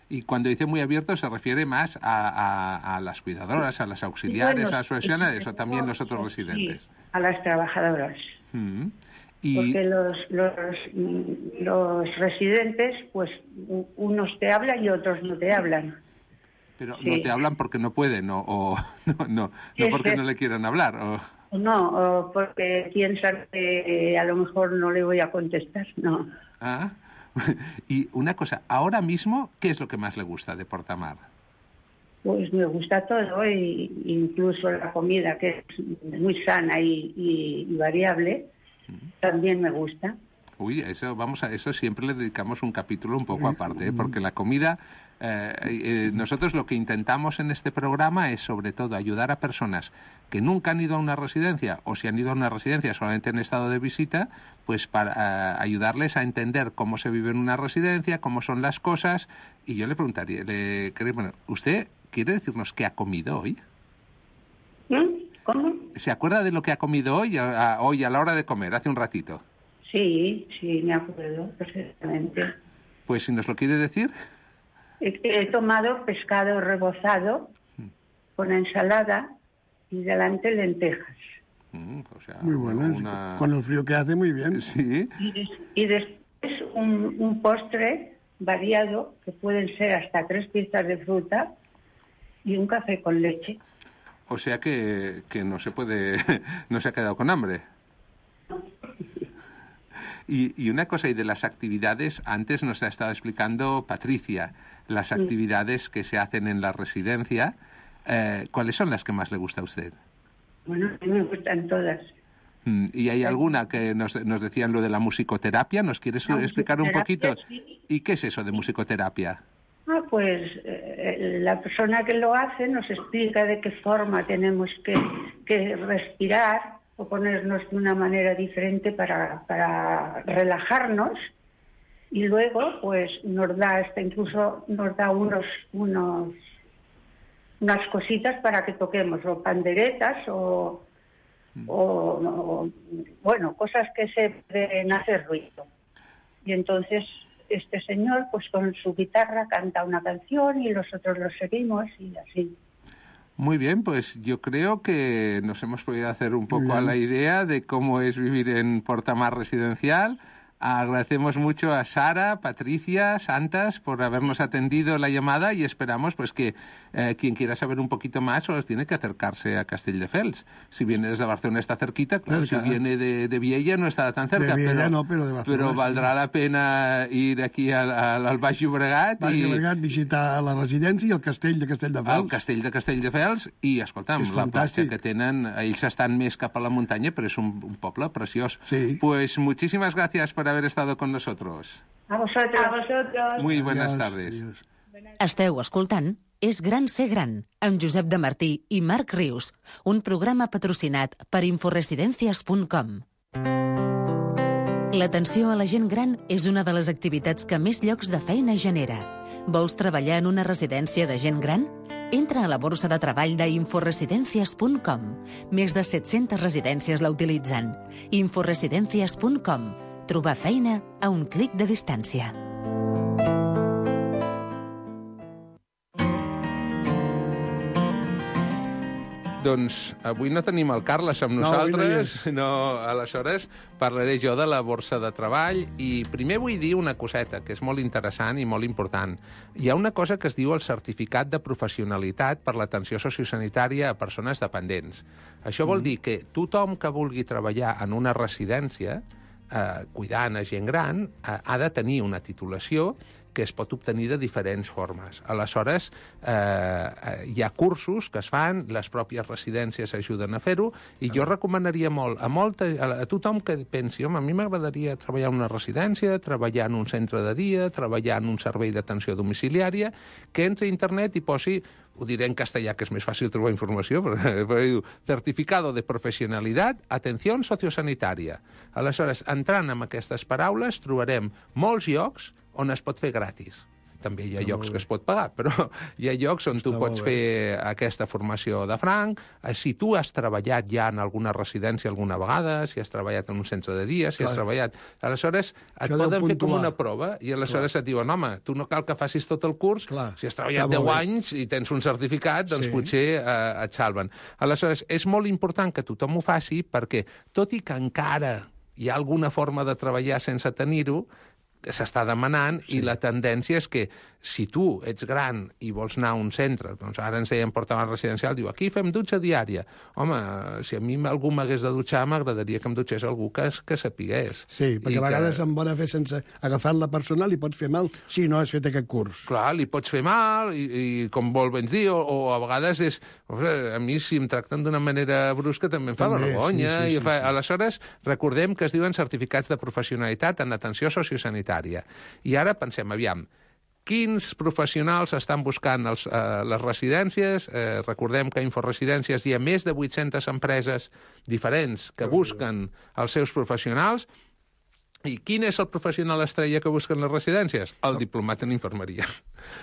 Y cuando dice muy abierto se refiere más a, a, a las cuidadoras, a las auxiliares, bueno, a las profesionales o también los otros residentes. Sí, a las trabajadoras. Uh-huh. Y... Porque los, los, los residentes, pues unos te hablan y otros no te hablan. Pero sí. no te hablan porque no pueden o, o no, no, no porque no le quieran hablar. O... No, o porque piensan que a lo mejor no le voy a contestar, no. Ah, y una cosa, ahora mismo, ¿qué es lo que más le gusta de Portamar? Pues me gusta todo, y incluso la comida, que es muy sana y, y, y variable, uh-huh. también me gusta. Uy, eso vamos a eso siempre le dedicamos un capítulo un poco aparte, ¿eh? Porque la comida, eh, eh, nosotros lo que intentamos en este programa es sobre todo ayudar a personas que nunca han ido a una residencia o si han ido a una residencia solamente en estado de visita, pues para uh, ayudarles a entender cómo se vive en una residencia, cómo son las cosas. Y yo le preguntaría, le, bueno, ¿usted quiere decirnos qué ha comido hoy? ¿Cómo? ¿Se acuerda de lo que ha comido hoy, a, hoy a la hora de comer, hace un ratito? Sí, sí, me acuerdo perfectamente. Pues si nos lo quiere decir. He, he tomado pescado rebozado mm. con ensalada y delante lentejas. Mm, o sea, muy buenas, una... con el frío que hace, muy bien. Sí. Y, des, y después un, un postre variado, que pueden ser hasta tres piezas de fruta y un café con leche. O sea que, que no se puede, no se ha quedado con hambre. Y, y una cosa, y de las actividades, antes nos ha estado explicando Patricia, las actividades que se hacen en la residencia. Eh, ¿Cuáles son las que más le gusta a usted? Bueno, a mí me gustan todas. ¿Y hay alguna que nos, nos decían lo de la musicoterapia? ¿Nos quieres la explicar un poquito? Sí. ¿Y qué es eso de musicoterapia? Ah, pues eh, la persona que lo hace nos explica de qué forma tenemos que, que respirar o ponernos de una manera diferente para, para relajarnos, y luego pues nos da hasta incluso nos da unos unos unas cositas para que toquemos, o panderetas o, mm. o, o bueno, cosas que se deben hacer ruido. Y entonces este señor pues con su guitarra canta una canción y nosotros lo seguimos y así. Muy bien, pues yo creo que nos hemos podido hacer un poco a la idea de cómo es vivir en Portamar Residencial. Agradecemos mucho a Sara, Patricia, Santas por habernos atendido la llamada y esperamos pues que eh, quien quiera saber un poquito más solo tiene que acercarse a Castelldefels. Si viene desde Barcelona está cerquita, claro, cerca, si viene de, de Viella no está tan cerca, de Viella, pero, no, pero, de Barcelona, pero valdrà sí. la pena ir aquí al, al, al Baix Llobregat, Baix i Llobregat, visitar la residència i el castell de Castelldefels. El castell de Castelldefels i, escolta'm, la platja que tenen, ells estan més cap a la muntanya, però és un, un poble preciós. Sí. Pues muchísimas gracias por haber estado con nosotros. A vosotros. A vosotros. Muy buenas Adiós, tardes. adiós. Esteu escoltant És gran ser gran, amb Josep de Martí i Marc Rius, un programa patrocinat per inforesidencias punt com. L'atenció a la gent gran és una de les activitats que més llocs de feina genera. Vols treballar en una residència de gent gran? Entra a la borsa de treball d'inforesidencias punt com. Més de set-centes residències la utilitzen. inforesidencias punt com. Trobar feina a un clic de distància. Doncs avui no tenim el Carles amb nosaltres, no, no, aleshores parlaré jo de la borsa de treball i primer vull dir una coseta que és molt interessant i molt important. Hi ha una cosa que es diu el certificat de professionalitat per l'atenció sociosanitària a persones dependents. Això vol dir que tothom que vulgui treballar en una residència eh, cuidant a gent gran eh, ha de tenir una titulació que es pot obtenir de diferents formes. Aleshores, eh, hi ha cursos que es fan, les pròpies residències ajuden a fer-ho, i jo recomanaria molt a, molta, a tothom que pensi, home, a mi m'agradaria treballar en una residència, treballar en un centre de dia, treballar en un servei d'atenció domiciliària, que entri a internet i posi, ho diré en castellà, que és més fàcil trobar informació, però, però diu, certificado de professionalitat, atenció sociosanitària. Aleshores, entrant en aquestes paraules, trobarem molts llocs on es pot fer gratis. També hi ha llocs que es pot pagar, però hi ha llocs on tu pots fer aquesta formació de franc. Si tu has treballat ja en alguna residència alguna vegada, si has treballat en un centre de dia, si has treballat... Aleshores, et poden fer com una prova i aleshores et diuen, home, tu no cal que facis tot el curs, si has treballat deu anys i tens un certificat, doncs potser et salven. Aleshores, és molt important que tothom ho faci perquè, tot i que encara hi ha alguna forma de treballar sense tenir-ho, s'està demanant, sí. I la tendència és que si tu ets gran i vols anar a un centre, doncs ara ens deien portavant residencial, diu, aquí fem dutxa diària. Home, si a mi algú m'hagués de dutxar, m'agradaria que em dutxés algú que, que sapigués. Sí, perquè I a vegades que... em bona fer sense agafar la persona li pots fer mal si no has fet aquest curs. Clar, li pots fer mal, i, i com vol ben dir, o, o a vegades és... A mi, si em tracten d'una manera brusca, també em fa també, vergonya. Sí, sí, i fa... sí, sí. Aleshores, recordem que es diuen certificats de professionalitat en atenció sociosanitària. I ara pensem, aviam, quins professionals estan buscant els, eh, les residències? Eh, recordem que a Inforesidències hi ha més de vuit-centes empreses diferents que busquen els seus professionals. I quin és el professional estrella que busquen les residències? El diplomat en infermeria,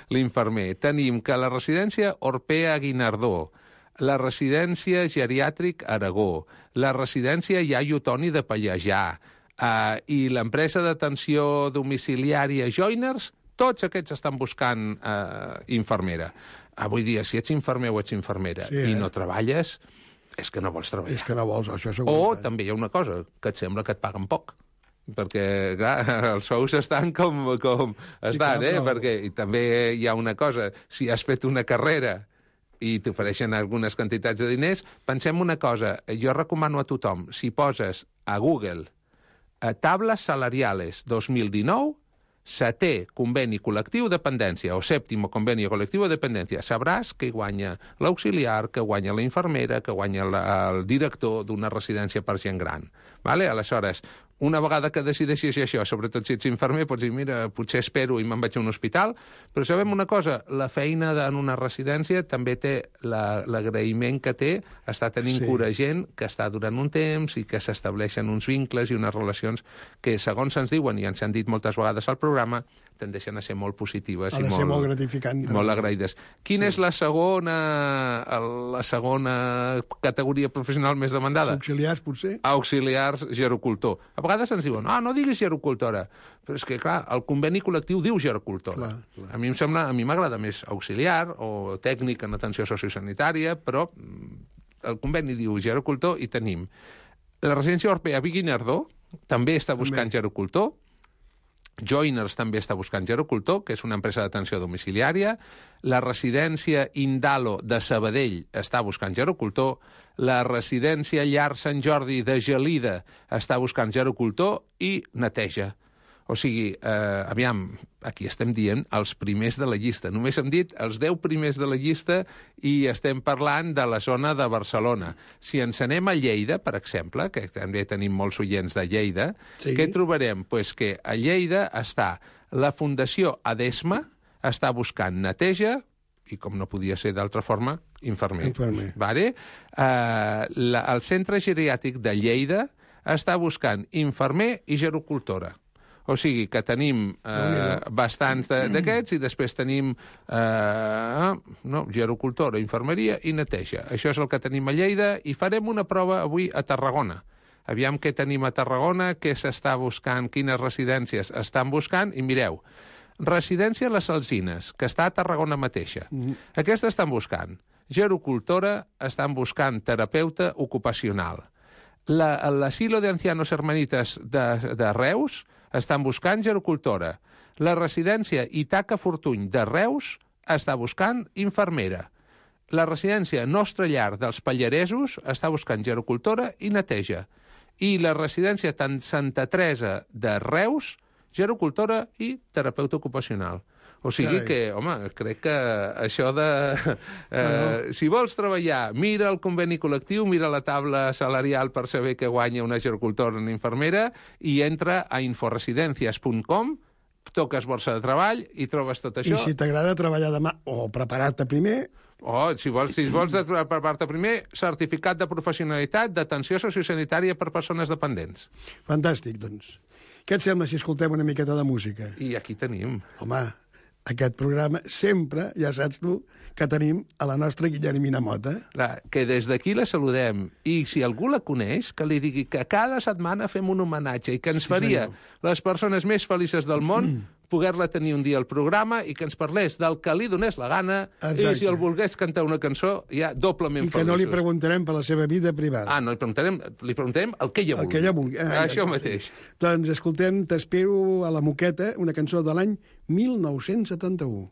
l'infermer. Tenim que la residència Orpea Guinardó, la residència Geriàtric Aragó, la residència Iaio Toni de Pallejà, Uh, i l'empresa d'atenció domiciliària Joiners, tots aquests estan buscant uh, infermera. Avui dia, si ets infermer o ets infermera sí, i eh? no treballes, és que no vols treballar. És que no vols, això segur. O també hi ha una cosa, que et sembla que et paguen poc. Perquè, clar, els sous estan com, com estan, sí, clar, eh? Però... Perquè i també hi ha una cosa, si has fet una carrera i t'ofereixen algunes quantitats de diners, pensem una cosa, jo recomano a tothom, si poses a Google Tablas salariales dos mil dinou, setè conveni col·lectiu de dependència, o sèptimo conveni col·lectiu de dependència, sabràs que guanya l'auxiliar, que guanya la infermera, que guanya la, el director d'una residència per gent gran. Vale? Aleshores, una vegada que decideixis això, sobretot si ets infermer, pots dir, mira, potser espero i me'n vaig a un hospital, però sabem una cosa, la feina en una residència també té l'agraïment que té estar tenint sí. cura gent que està durant un temps i que s'estableixen uns vincles i unes relacions que, segons ens diuen, i ens han dit moltes vegades al programa, tendeixen a ser molt positives i molt, molt gratificants. I molt agraïdes. Quina sí. és la segona, la segona categoria professional més demandada? Auxiliars, potser? Auxiliars gerocultor. A vegades ens diuen, ah, no diguis gerocultora. Però és que, clar, el conveni col·lectiu diu gerocultora. Clar, clar. A mi em sembla, a mi m'agrada més auxiliar o tècnic en atenció sociosanitària, però el conveni diu gerocultor i tenim. La residència Orpea Guinardó també està buscant també. gerocultor. Joiners també està buscant gerocultor, que és una empresa d'atenció domiciliària. La residència Indalo de Sabadell està buscant gerocultor. La residència Llar Sant Jordi de Gelida està buscant gerocultor i neteja. O sigui, eh, aviam, aquí estem dient els primers de la llista. Només hem dit els deu primers de la llista i estem parlant de la zona de Barcelona. Si ens anem a Lleida, per exemple, que també tenim molts oients de Lleida, sí. Què trobarem? Pues que a Lleida està la Fundació Adesma, està buscant neteja, i com no podia ser d'altra forma, infermer. Infermer. Vale? Uh, la, el Centre Geriàtric de Lleida està buscant infermer i gerocultora. O sigui que tenim eh, bastants d'aquests i després tenim eh, no, gerocultora, infermeria i neteja. Això és el que tenim a Lleida i farem una prova avui a Tarragona. Aviam què tenim a Tarragona, què s'està buscant, quines residències estan buscant, i mireu, residència Les Alzines, que està a Tarragona mateixa. Mm. Aquesta estan buscant gerocultora, estan buscant terapeuta ocupacional. L'Asilo de Ancianos Hermanitas de, de Reus estan buscant gerocultora. La residència Itaca Fortuny de Reus està buscant infermera. La residència Nostra Llar dels Pallaresos està buscant gerocultora i neteja. I la residència Santa Teresa de Reus, gerocultora i terapeuta ocupacional. O sigui Carai. que, home, crec que això de... Eh, no, no. Si vols treballar, mira el conveni col·lectiu, mira la taula salarial per saber què guanya una gerocultora o una infermera i entra a inforesidencias punt com, toques borsa de treball i trobes tot això. I si t'agrada treballar demà o preparar-te primer... O, si vols, si vols preparar-te primer, certificat de professionalitat d'atenció sociosanitària per persones dependents. Fantàstic, doncs. Què et sembla si escoltem una miqueta de música? I aquí tenim. Home... Aquest programa sempre, ja saps tu, que tenim a la nostra Guillermina Mota. La, que des d'aquí la saludem. I si algú la coneix, que li digui que cada setmana fem un homenatge i que ens sí, faria senyor. Les persones més felices del món poder-la tenir un dia al programa i que ens parlés del que li donés la gana. Exacte. I si el volgués cantar una cançó, ja doblement feliços. I que no li preguntarem per la seva vida privada. Ah, no, li preguntarem, li preguntarem el que ella vulgui. El que ella vulgui. Ah, Això mateix. Doncs escoltem T'espero a la Moqueta, una cançó de l'any mil nou-cents setanta-u.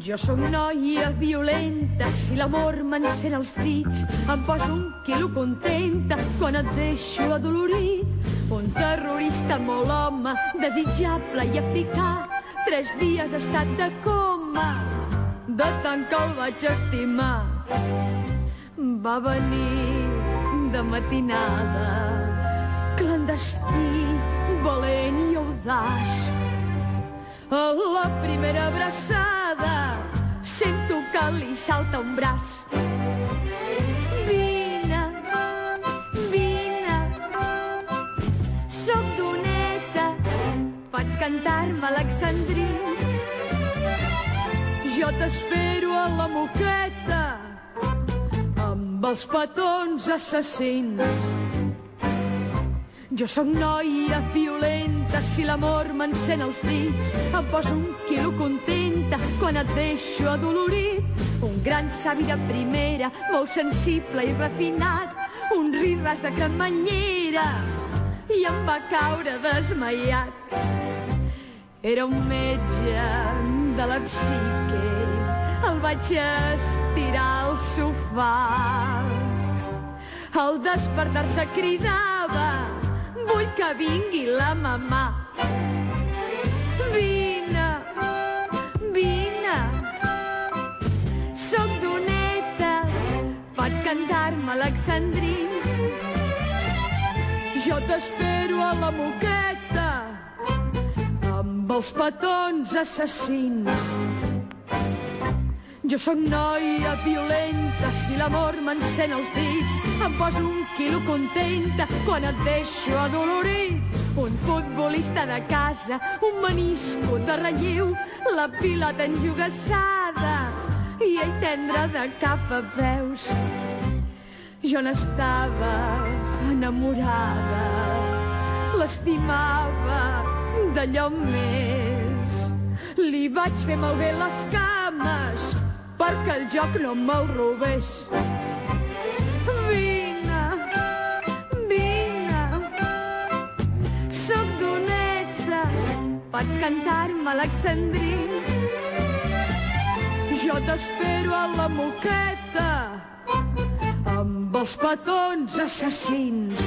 Jo sóc noia violenta, si l'amor m'encén els dits, em poso un quilo contenta quan et deixo adolorit. Un terrorista molt home, desitjable i africà, tres dies ha estat de coma, de tant que el vaig estimar. Va venir de matinada, clandestí, valent i audaç. A la primera abraçada sento que li salta un braç. Vine, vine, soc doneta, pots cantar-me alexandrins. Jo t'espero a la Moqueta amb els petons assassins. Jo sóc noia violenta, si l'amor m'encén els dits, em poso un quilo contenta quan et deixo adolorit. Un gran savi de primera, molt sensible i refinat, un riràs de cremanyera, i em va caure desmaiat. Era un metge de la psique, el vaig estirar al sofà. Al despertar-se cridava: vull que vingui la mamà. Vine, vine, soc doneta, pots cantar-me alexandrins. Jo t'espero a la Moqueta amb els petons assassins. Jo sóc noia violenta, si l'amor m'encén els dits, em poso un quilo contenta quan et deixo adolorit. Un futbolista de casa, un menisco de relleu, la pilota enjogassada i ell tendre de cap a peus. Jo n'estava enamorada, l'estimava d'allò més. Li vaig fer malbé les cames perquè el joc no me'l robés. Vine, pots cantar-me alexandrins. Jo t'espero a la moqueta amb els petons assassins.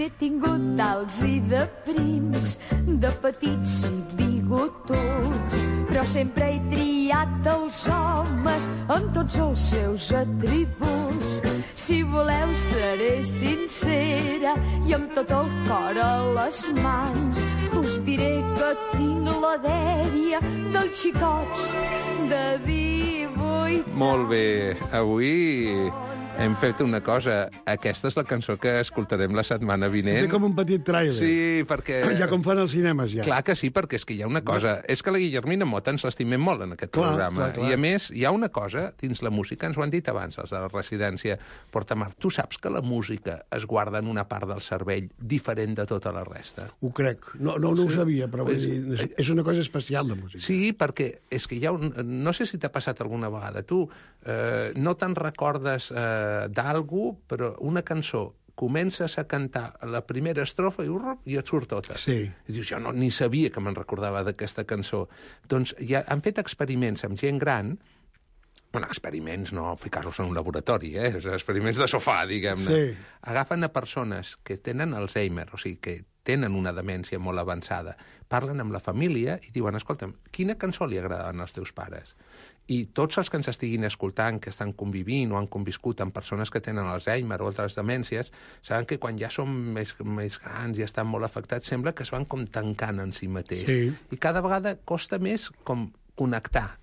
N'he tingut d'alts i de prims, de petits i bigotuts, però sempre he triat els homes amb tots els seus atributs. Si voleu seré sincera i amb tot el cor a les mans, us diré que tinc la dèria dels xicots de divuit. Molt bé, avui hem fet una cosa. Aquesta és la cançó que escoltarem la setmana vinent. És com un petit trailer. Sí, perquè... Ja com fan els cinemes, ja. Clar que sí, perquè és que hi ha una cosa... Ja. És que la Guillermina Mota ens l'estimem molt en aquest clar, programa. Clar, clar. I a més, hi ha una cosa dins la música, ens ho han dit abans els de la residència Portamar. Tu saps que la música es guarda en una part del cervell diferent de tota la resta? Ho crec. No, no, no sí. ho sabia, però vull dir, és una cosa especial, la música. Sí, perquè és que hi ha un... No sé si t'ha passat alguna vegada. Tu eh, no te'n recordes... Eh, d'algú, però una cançó comences a cantar la primera estrofa i, urrup, i et surt tota. Sí. I dius, jo no, ni sabia que me'n recordava d'aquesta cançó. Doncs ja han fet experiments amb gent gran, bueno, experiments, no ficar-los en un laboratori, eh? Experiments de sofà, diguem-ne. Sí. Agafen a persones que tenen Alzheimer, o sigui, que tenen una demència molt avançada, parlen amb la família i diuen, escolta'm, quina cançó li agradaven als teus pares? I tots els que ens estiguin escoltant, que estan convivint o han conviscut amb persones que tenen Alzheimer o altres demències, saben que quan ja són més, més grans i estan molt afectats, sembla que es van com tancant en si mateix. Sí. I cada vegada costa més com connectar.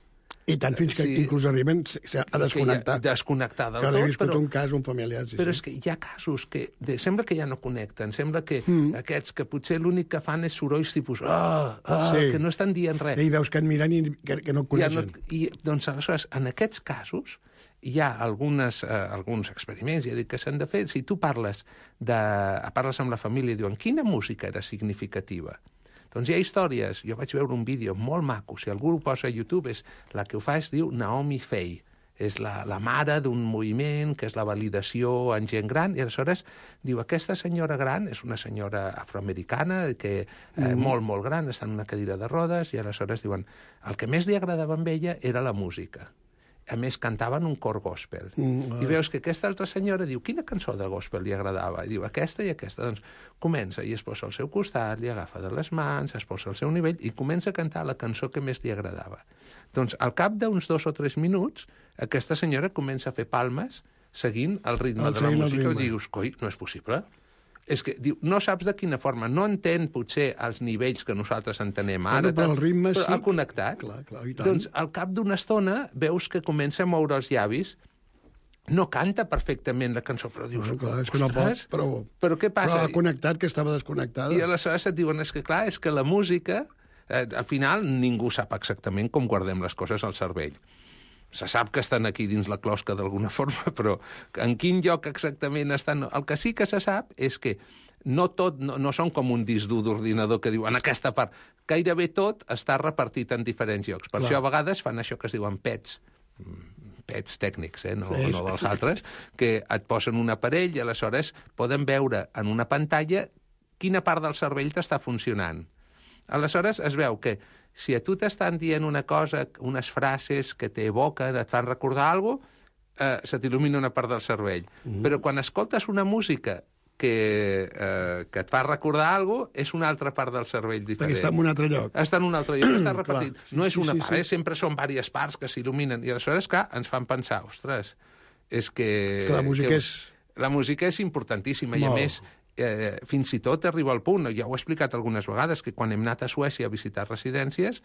I tant fins que sí. inclús arriben a desconnectar. Ja, desconnectar del que tot. Que he viscut però, un cas, un familiar. Sí, però sí. és que hi ha casos que de, sembla que ja no connecten, sembla que mm. aquests que potser l'únic que fan és sorolls tipus ah, ah, sí. que no estan dient res. I veus que et miren i que, que no et coneixen. Ja no, I, doncs, aleshores, en aquests casos, hi ha algunes, eh, alguns experiments, ja dic que s'han de fer. Si tu parles, de, parles amb la família i diuen quina música era significativa, doncs hi ha històries. Jo vaig veure un vídeo molt maco, si algú ho posa a YouTube, és, la que ho fa es diu Naomi Fey. És la, la mare d'un moviment que és la validació en gent gran, i aleshores diu, aquesta senyora gran és una senyora afroamericana, que eh, mm. molt, molt gran, està en una cadira de rodes, i aleshores diuen, el que més li agradava amb ella era la música. A més, cantaven un cor gospel. Mm, I veus que aquesta altra senyora diu, quina cançó de gospel li agradava? I diu, aquesta i aquesta. Doncs comença i es posa al seu costat, li agafa de les mans, es posa al seu nivell i comença a cantar la cançó que més li agradava. Doncs al cap d'uns dos o tres minuts, aquesta senyora comença a fer palmes seguint el ritme el de la música i dius, coi, no és possible. És que diu, no saps de quina forma, no entén potser els nivells que nosaltres entenem ara, però el ritme però sí. ha connectat. Clar, clar, i tant. Doncs al cap d'una estona veus que comença a moure els llavis, no canta perfectament la cançó, però dius, bueno, clar, és que no pot, però, però què passa? Però ha connectat, que estava desconnectada. I aleshores et diuen, és que clar, és que la música, eh, al final ningú sap exactament com guardem les coses al cervell. Se sap que estan aquí dins la closca d'alguna forma, però en quin lloc exactament estan... El que sí que se sap és que no tot, no, no són com un disc dur d'ordinador que diu en aquesta part. Gairebé tot està repartit en diferents llocs. Per Clar. Això a vegades fan això que es diuen pets, pets tècnics, eh? no, sí, no dels altres, que et posen un aparell i aleshores poden veure en una pantalla quina part del cervell t'està funcionant. Aleshores es veu que si a tu t'estan dient una cosa, unes frases que t'evoquen, et fan recordar alguna cosa, eh, se t'il·lumina una part del cervell. Mm. Però quan escoltes una música que, eh, que et fa recordar alguna cosa, és una altra part del cervell diferent. Perquè està en un altre lloc. Està en un altre lloc, està repartit. Sí, no és una sí, part, sí. eh? Sempre són diverses parts que s'il·luminen. I aleshores, clar, ens fan pensar, ostres, és que... És que la música que, és... La música és importantíssima, Molt. i a més... Eh, fins i tot arriba al punt, ja ho he explicat algunes vegades, que quan hem anat a Suècia a visitar residències,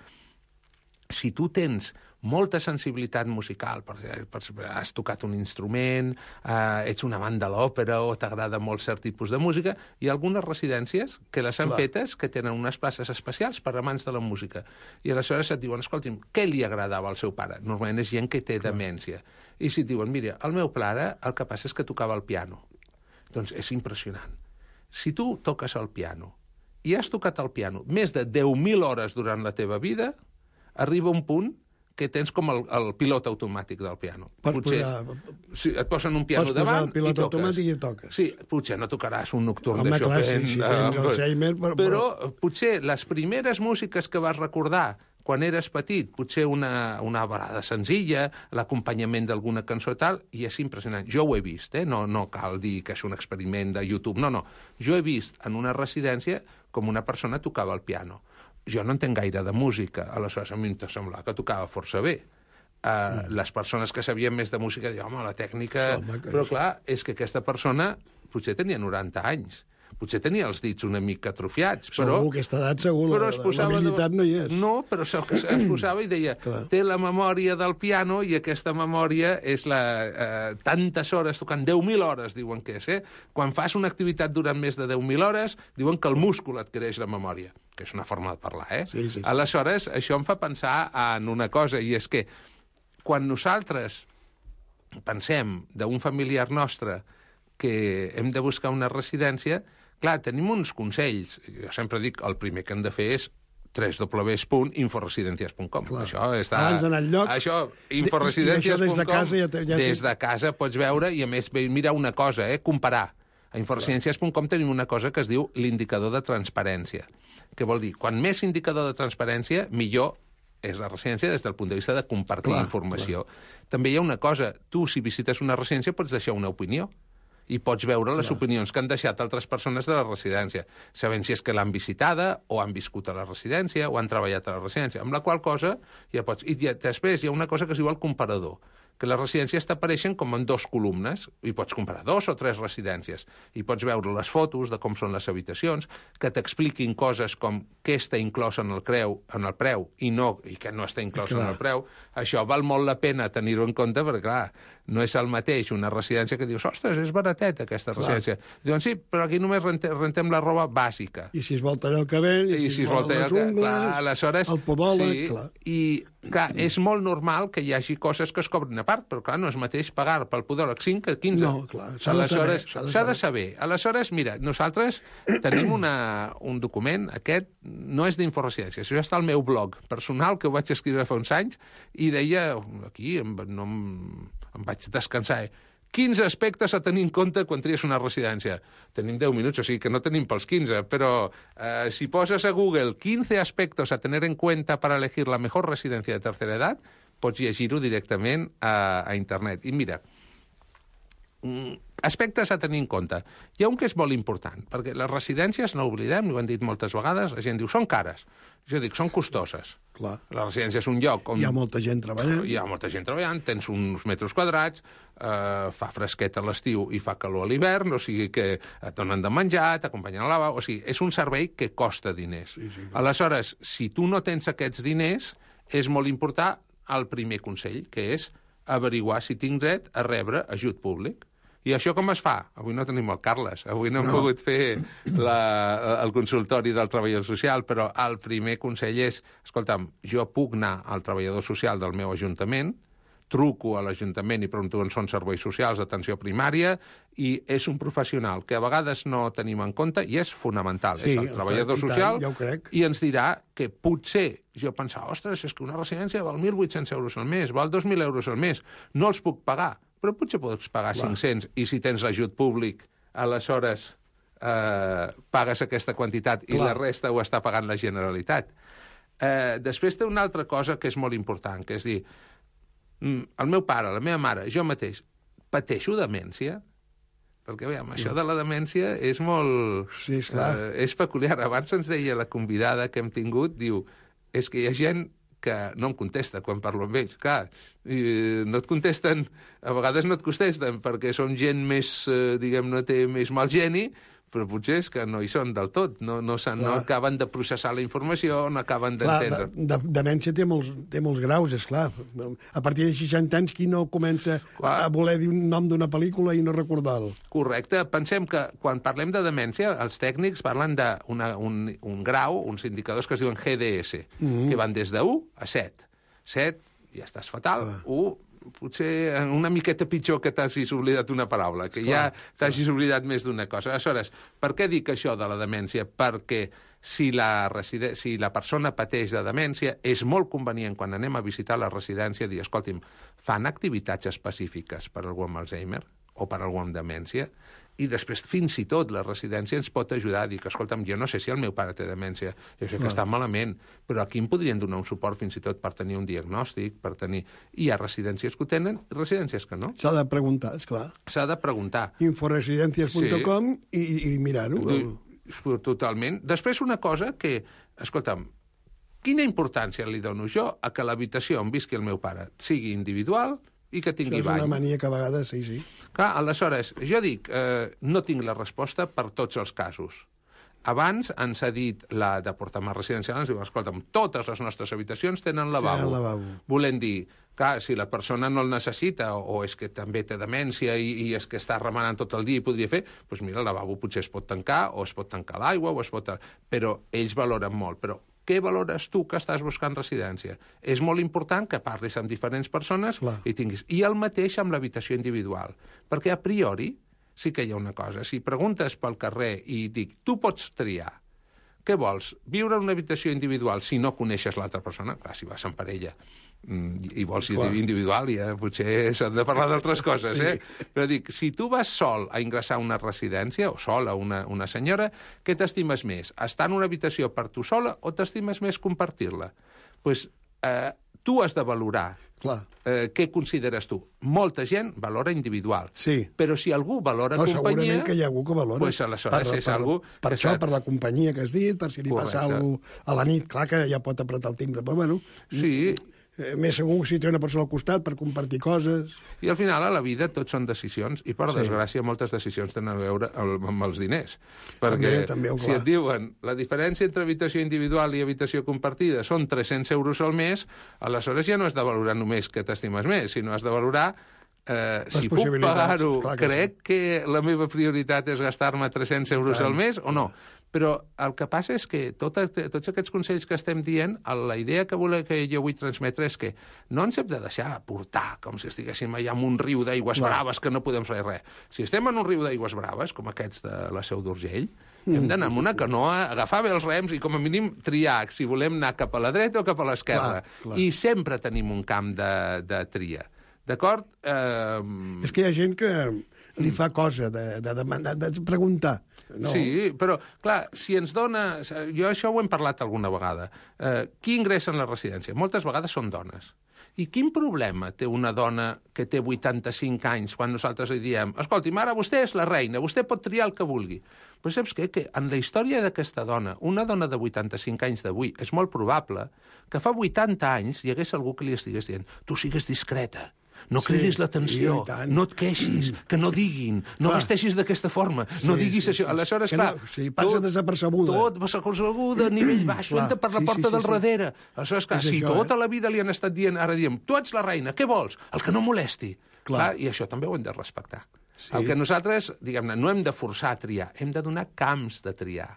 si tu tens molta sensibilitat musical, per, per, has tocat un instrument, eh, ets un amant de l'òpera o t'agrada molt cert tipus de música, hi ha algunes residències que les han Clar. fetes que tenen unes places especials per amants de la música. I aleshores et diuen, escolti'm, què li agradava al seu pare? Normalment és gent que té Clar. demència. I si et diuen, mira, el meu pare el que passa és que tocava el piano. Doncs és impressionant. Si tu toques el piano i has tocat el piano més de deu mil hores durant la teva vida, arriba un punt que tens com el, el pilot automàtic del piano. Pots potser, posar... sí, et posen un piano Pots davant el pilot i toques. automàtic i toques. Sí, potser no tocaràs un nocturn Home, de Chopin. clar, sí, si tens eh, Alzheimer, però- però potser les primeres músiques que vas recordar quan eres petit, potser una, una balada senzilla, l'acompanyament d'alguna cançó i tal, i és impressionant. Jo ho he vist, eh? no, no cal dir que és un experiment de YouTube, no, no. Jo he vist en una residència com una persona tocava el piano. Jo no entenc gaire de música, aleshores a mi em semblava que tocava força bé. Uh, mm. Les persones que sabien més de música diuen, home, la tècnica... Home, que Però és- clar, és que aquesta persona potser tenia noranta anys. Potser tenia els dits una mica atrofiats, però... Segur, aquesta edat segur, però la- es posava l'habilitat de... no hi és. No, però es, es posava i deia, té la memòria del piano i aquesta memòria és la... Eh, tantes hores tocant, deu mil hores, diuen que és, eh? Quan fas una activitat durant més de deu mil hores, diuen que el múscul adquireix la memòria, que és una forma de parlar, eh? Sí, sí. Aleshores, això em fa pensar en una cosa, i és que quan nosaltres pensem d'un familiar nostre que hem de buscar una residència, clar, tenim uns consells. Jo sempre dic, el primer que hem de fer és w w w punt inforesidencias punt com. Això està... Abans d'anar enlloc... Això, I- i inforesidencias punt com. això des de casa ja te- ja té- Des de casa pots veure i, a més, bé, mira una cosa, eh, comparar. A inforesidencias punt com tenim una cosa que es diu l'indicador de transparència. Què vol dir? Quan més indicador de transparència, millor és la residència des del punt de vista de compartir Clar, informació. També hi ha una cosa. Tu, si visites una residència, pots deixar una opinió i pots veure les opinions que han deixat altres persones de la residència, sabent si és que l'han visitada o han viscut a la residència o han treballat a la residència, amb la qual cosa ja pots... I ja, després hi ha una cosa que es diu el comparador, que les residències t'apareixen com en dos columnes, i pots comparar dos o tres residències, i pots veure les fotos de com són les habitacions, que t'expliquin coses com què està inclòs en el, creu, en el preu i, no, i què no està inclòs Clar. en el preu. Això val molt la pena tenir-ho en compte, perquè, clar, no és el mateix una residència que dius, ostres, és barateta aquesta Clar. residència. Diuen, sí, però aquí només rentem, rentem la roba bàsica. I si es vol tallar el cabell, i, I si es vol tallar les el ungles, clar, aleshores, el podòleg, sí, clar. I, clar, és molt normal que hi hagi coses que es cobrin a part, però, clar, no és mateix pagar pel podòleg cinc que quinze. No, clar, s'ha de saber, Aleshores, s'ha de s'ha de saber. Aleshores, mira, nosaltres tenim una, un document, aquest no és d'inforesidències, això està al meu blog personal, que ho vaig escriure fa uns anys, i deia, aquí, em, no em, em vaig descansar, eh? quinze aspectes a tenir en compte quan tries una residència. Tenim deu minuts, o sigui que no tenim pels quinze, però eh, si poses a Google quinze aspectos a tener en cuenta para elegir la mejor residencia de tercera edad, pots llegir-ho directament a, a internet. I mira, aspectes a tenir en compte. Hi ha un que és molt important, perquè les residències, no oblidem, ho han dit moltes vegades, la gent diu, són cares. Jo dic, són costoses. Clar. La residència és un lloc on... Hi ha molta gent treballant. Hi ha molta gent treballant, tens uns metres quadrats, eh, fa fresquet a l'estiu i fa calor a l'hivern, o sigui que et donen de menjar, t'acompanyen a la lavabo, o sigui, és un servei que costa diners. Sí, sí, aleshores, si tu no tens aquests diners, és molt important el primer consell, que és averiguar si tinc dret a rebre ajut públic. I això com es fa? Avui no tenim el Carles, avui no hem no. pogut fer la, el consultori del treballador social, però el primer consell és, escolta'm, jo puc anar al treballador social del meu ajuntament, truco a l'Ajuntament i pregunto on són serveis socials d'atenció primària, i és un professional que a vegades no tenim en compte, i és fonamental, sí, és el treballador tant, social, ja ho crec. i ens dirà que potser, jo pensava, ostres, és que una residència val mil vuit-cents euros al mes, val dos mil euros al mes, no els puc pagar, però potser pots pagar Clar. cinc-cents, i si tens l'ajut públic, aleshores eh, pagues aquesta quantitat i Clar. la resta ho està pagant la Generalitat. Eh, després té una altra cosa que és molt important, que és dir, el meu pare, la meva mare, jo mateix, pateixo demència? Perquè, veiem, això de la demència és molt... Sí, esclar. Eh, és peculiar. Abans ens deia la convidada que hem tingut, diu, és que hi ha gent que no em contesta quan parlo amb ells. Clar, i no et contesten, a vegades no et contesten perquè són gent més, eh, diguem, no té més mal geni, però potser és que no hi són del tot, no, no, no acaben de processar la informació, no acaben d'entendre. De, de, demència té molts, té molts graus, és clar. A partir de seixanta anys, qui no comença clar. a voler dir un nom d'una pel·lícula i no recordar-lo? Correcte. Pensem que quan parlem de demència, els tècnics parlen d'un un grau, uns indicadors que es diuen G D S, mm-hmm. que van des de u a set. set, ja estàs fatal, ah. u, potser una miqueta pitjor que t'hagis oblidat una paraula, que clar, ja t'hagis oblidat més d'una cosa. Aleshores, per què dic això de la demència? Perquè si la, reside... si la persona pateix de demència, és molt convenient quan anem a visitar la residència dir, escolti'm, fan activitats específiques per algú amb Alzheimer o per algú amb demència? I després, fins i tot, la residència ens pot ajudar a dir que, escolta'm, jo no sé si el meu pare té demència, jo sé que està malament, però aquí em podrien donar un suport fins i tot per tenir un diagnòstic, per tenir... Hi ha residències que ho tenen i residències que no. S'ha de preguntar, esclar. S'ha de preguntar. inforesidencias punt com sí. i, i mirar-ho. Totalment. Després, una cosa que, escolta'm, quina importància li dono jo a que l'habitació on visqui el meu pare sigui individual i que tingui bany? És una mania que a vegades, sí, sí. Clar, aleshores, jo dic, eh, no tinc la resposta per tots els casos. Abans ens ha dit la de Portamar Residencial, ens diu, escolta'm, totes les nostres habitacions tenen lavabo. Tenen lavabo. Volem dir, clar, si la persona no el necessita o és que també té demència i, i és que està remenant tot el dia i podria fer, doncs mira, el lavabo potser es pot tancar o es pot tancar l'aigua o es pot... Però ells valoren molt, però què valores tu que estàs buscant residència? És molt important que parlis amb diferents persones clar. i tinguis... I el mateix amb l'habitació individual, perquè a priori sí que hi ha una cosa. Si preguntes pel carrer i dic, tu pots triar, què vols? Viure en una habitació individual si no coneixes l'altra persona? Clar, si vas en parella i vols ser individual, ja potser s'han de parlar d'altres coses, sí. eh? Però dic, si tu vas sol a ingressar a una residència, o sola, una, una senyora, què t'estimes més? Estar en una habitació per tu sola o t'estimes més compartir-la? Doncs pues, eh, tu has de valorar eh, què consideres tu. Molta gent valora individual, sí. però si algú valora no, companyia... Segurament que hi ha algú que valora. Pues aleshores per, és per, algú... Per això, per la companyia que has dit, per si li Correcte. passa alguna cosa a la nit, clar que ja pot apretar el timbre, però bueno... Sí. Eh, més segur si té una persona al costat per compartir coses... I al final, a la vida, tot són decisions, i per sí. desgràcia, moltes decisions tenen a veure amb els diners. Perquè també, també, si et diuen la diferència entre habitació individual i habitació compartida són tres-cents euros al mes, aleshores ja no has de valorar només que t'estimes més, sinó has de valorar eh, si puc pagar-ho, crec sí. que la meva prioritat és gastar-me tres-cents euros al mes o no. Però el que passa és que tot, tots aquests consells que estem dient, la idea que, voler, que jo vull transmetre és que no ens hem de deixar portar com si estiguéssim allà en un riu d'aigües braves que no podem fer res. Si estem en un riu d'aigües braves, com aquests de la Seu d'Urgell, mm. hem d'anar amb una canoa, agafar bé els rems i com a mínim triar si volem anar cap a la dreta o cap a l'esquerra. I sempre tenim un camp de, de tria. D'acord? Eh... És que hi ha gent que li fa cosa de, de, de, de preguntar. No. Sí, però, clar, si ens dona... Jo això ho hem parlat alguna vegada. Eh, qui ingressa en la residència? Moltes vegades són dones. I quin problema té una dona que té vuitanta-cinc anys quan nosaltres li diem escolti, ara vostè és la reina, vostè pot triar el que vulgui. Però saps què? Que en la història d'aquesta dona, una dona de vuitanta-cinc anys d'avui, és molt probable que fa vuitanta anys hi hagués algú que li estigués dient tu sigues discreta, no cridis sí, l'atenció, no et queixis, que no diguin, no clar. Vesteixis d'aquesta forma, sí, no diguis sí, això. Sí, aleshores, clar... No, sí, passa tot, desapercebuda. Tot desapercebuda, a nivell baix, clar, entra per la porta sí, sí, del sí. darrere. Aleshores, clar, és si això, tota eh? la vida li han estat dient, ara diem, tu ets la reina, què vols? El que no molesti. Clar. Clar, i això també ho hem de respectar. Sí. El que nosaltres, diguem-ne, no hem de forçar a triar, hem de donar camps de triar.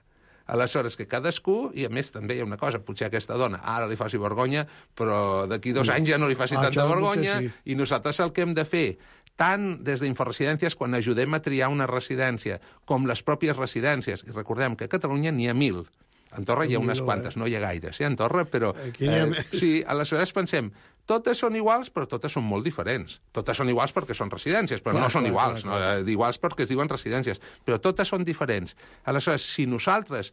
Aleshores, que cadascú, i a més també hi ha una cosa, potser aquesta dona ara li faci vergonya, però d'aquí dos anys ja no li faci ah, tanta vergonya, sí. I nosaltres el que hem de fer, tant des d'Inforesidències, quan ajudem a triar una residència, com les pròpies residències, i recordem que a Catalunya n'hi ha mil, a Andorra hi ha unes quantes, no hi ha gaires, eh, a Andorra, però... Eh, sí, aleshores pensem, totes són iguals, però totes són molt diferents. Totes són iguals perquè són residències, però clar, no són clar, iguals. Clar, clar. No? Iguals perquè es diuen residències, però totes són diferents. Aleshores, si nosaltres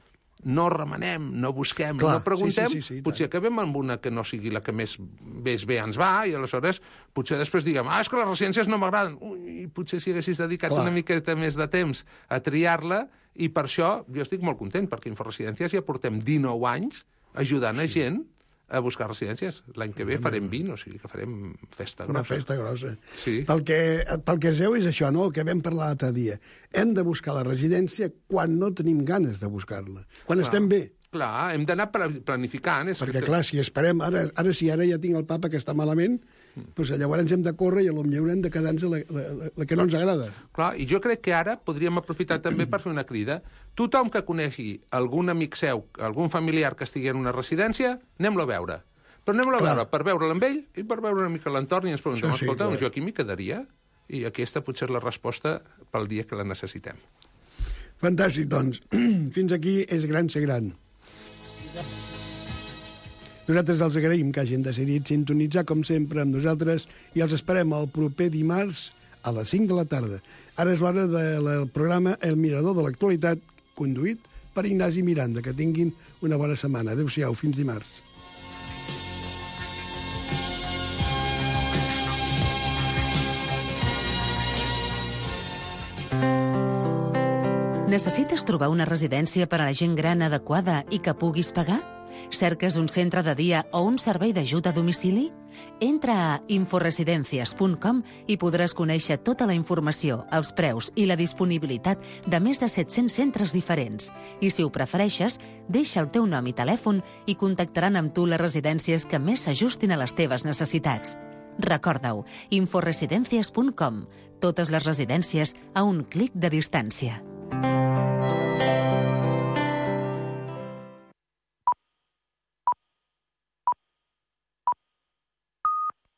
no remenem, no busquem, clar, no preguntem, sí, sí, sí, sí, potser acabem amb una que no sigui la que més, més bé ens va, i aleshores potser després diguem, ah, és que les residències no m'agraden. Ui, potser si haguessis dedicat clar. Una miqueta més de temps a triar-la, i per això jo estic molt content, perquè Inforesidències ja portem dinou anys ajudant sí. a gent a buscar residències. L'any que ve farem vint, o sigui que farem festa grossa. Una festa grossa. Sí. Pel que, pel que es veu és això, no?, el que vam parlar l'altre dia. Hem de buscar la residència quan no tenim ganes de buscar-la. Quan clar, estem bé. Clar, hem d'anar planificant. És perquè, que... clar, si esperem... Ara, ara si ara ja tinc el papa que està malament, doncs llavors hem de córrer i potser haurem de quedar-nos la, la, la, la que no ens agrada. Clar, i jo crec que ara podríem aprofitar també per fer una crida. Tothom que conegui algun amic seu, algun familiar que estigui en una residència, anem-lo a veure. Però anem a Clar. veure, per veure'l amb ell i per veure una mica l'entorn i ens preguntem, Sí, sí, escolta, clar. jo aquí m'hi quedaria? I aquesta potser és la resposta pel dia que la necessitem. Fantàstic, doncs. Fins aquí és gran ser gran. Nosaltres els agraïm que hagin decidit sintonitzar, com sempre, amb nosaltres i els esperem el proper dimarts a les cinc de la tarda. Ara és l'hora del programa El Mirador de l'Actualitat, conduït per Ignasi Miranda. Que tinguin una bona setmana. Adéu-siau, fins dimarts. Necessites trobar una residència per a la gent gran adequada i que puguis pagar? Cerques un centre de dia o un servei d'ajuda a domicili? Entra a inforesidencias punt com i podràs conèixer tota la informació, els preus i la disponibilitat de més de set-cents centres diferents. I si ho prefereixes, deixa el teu nom i telèfon i contactaran amb tu les residències que més s'ajustin a les teves necessitats. Recorda-ho, inforesidencias punt com. Totes les residències a un clic de distància.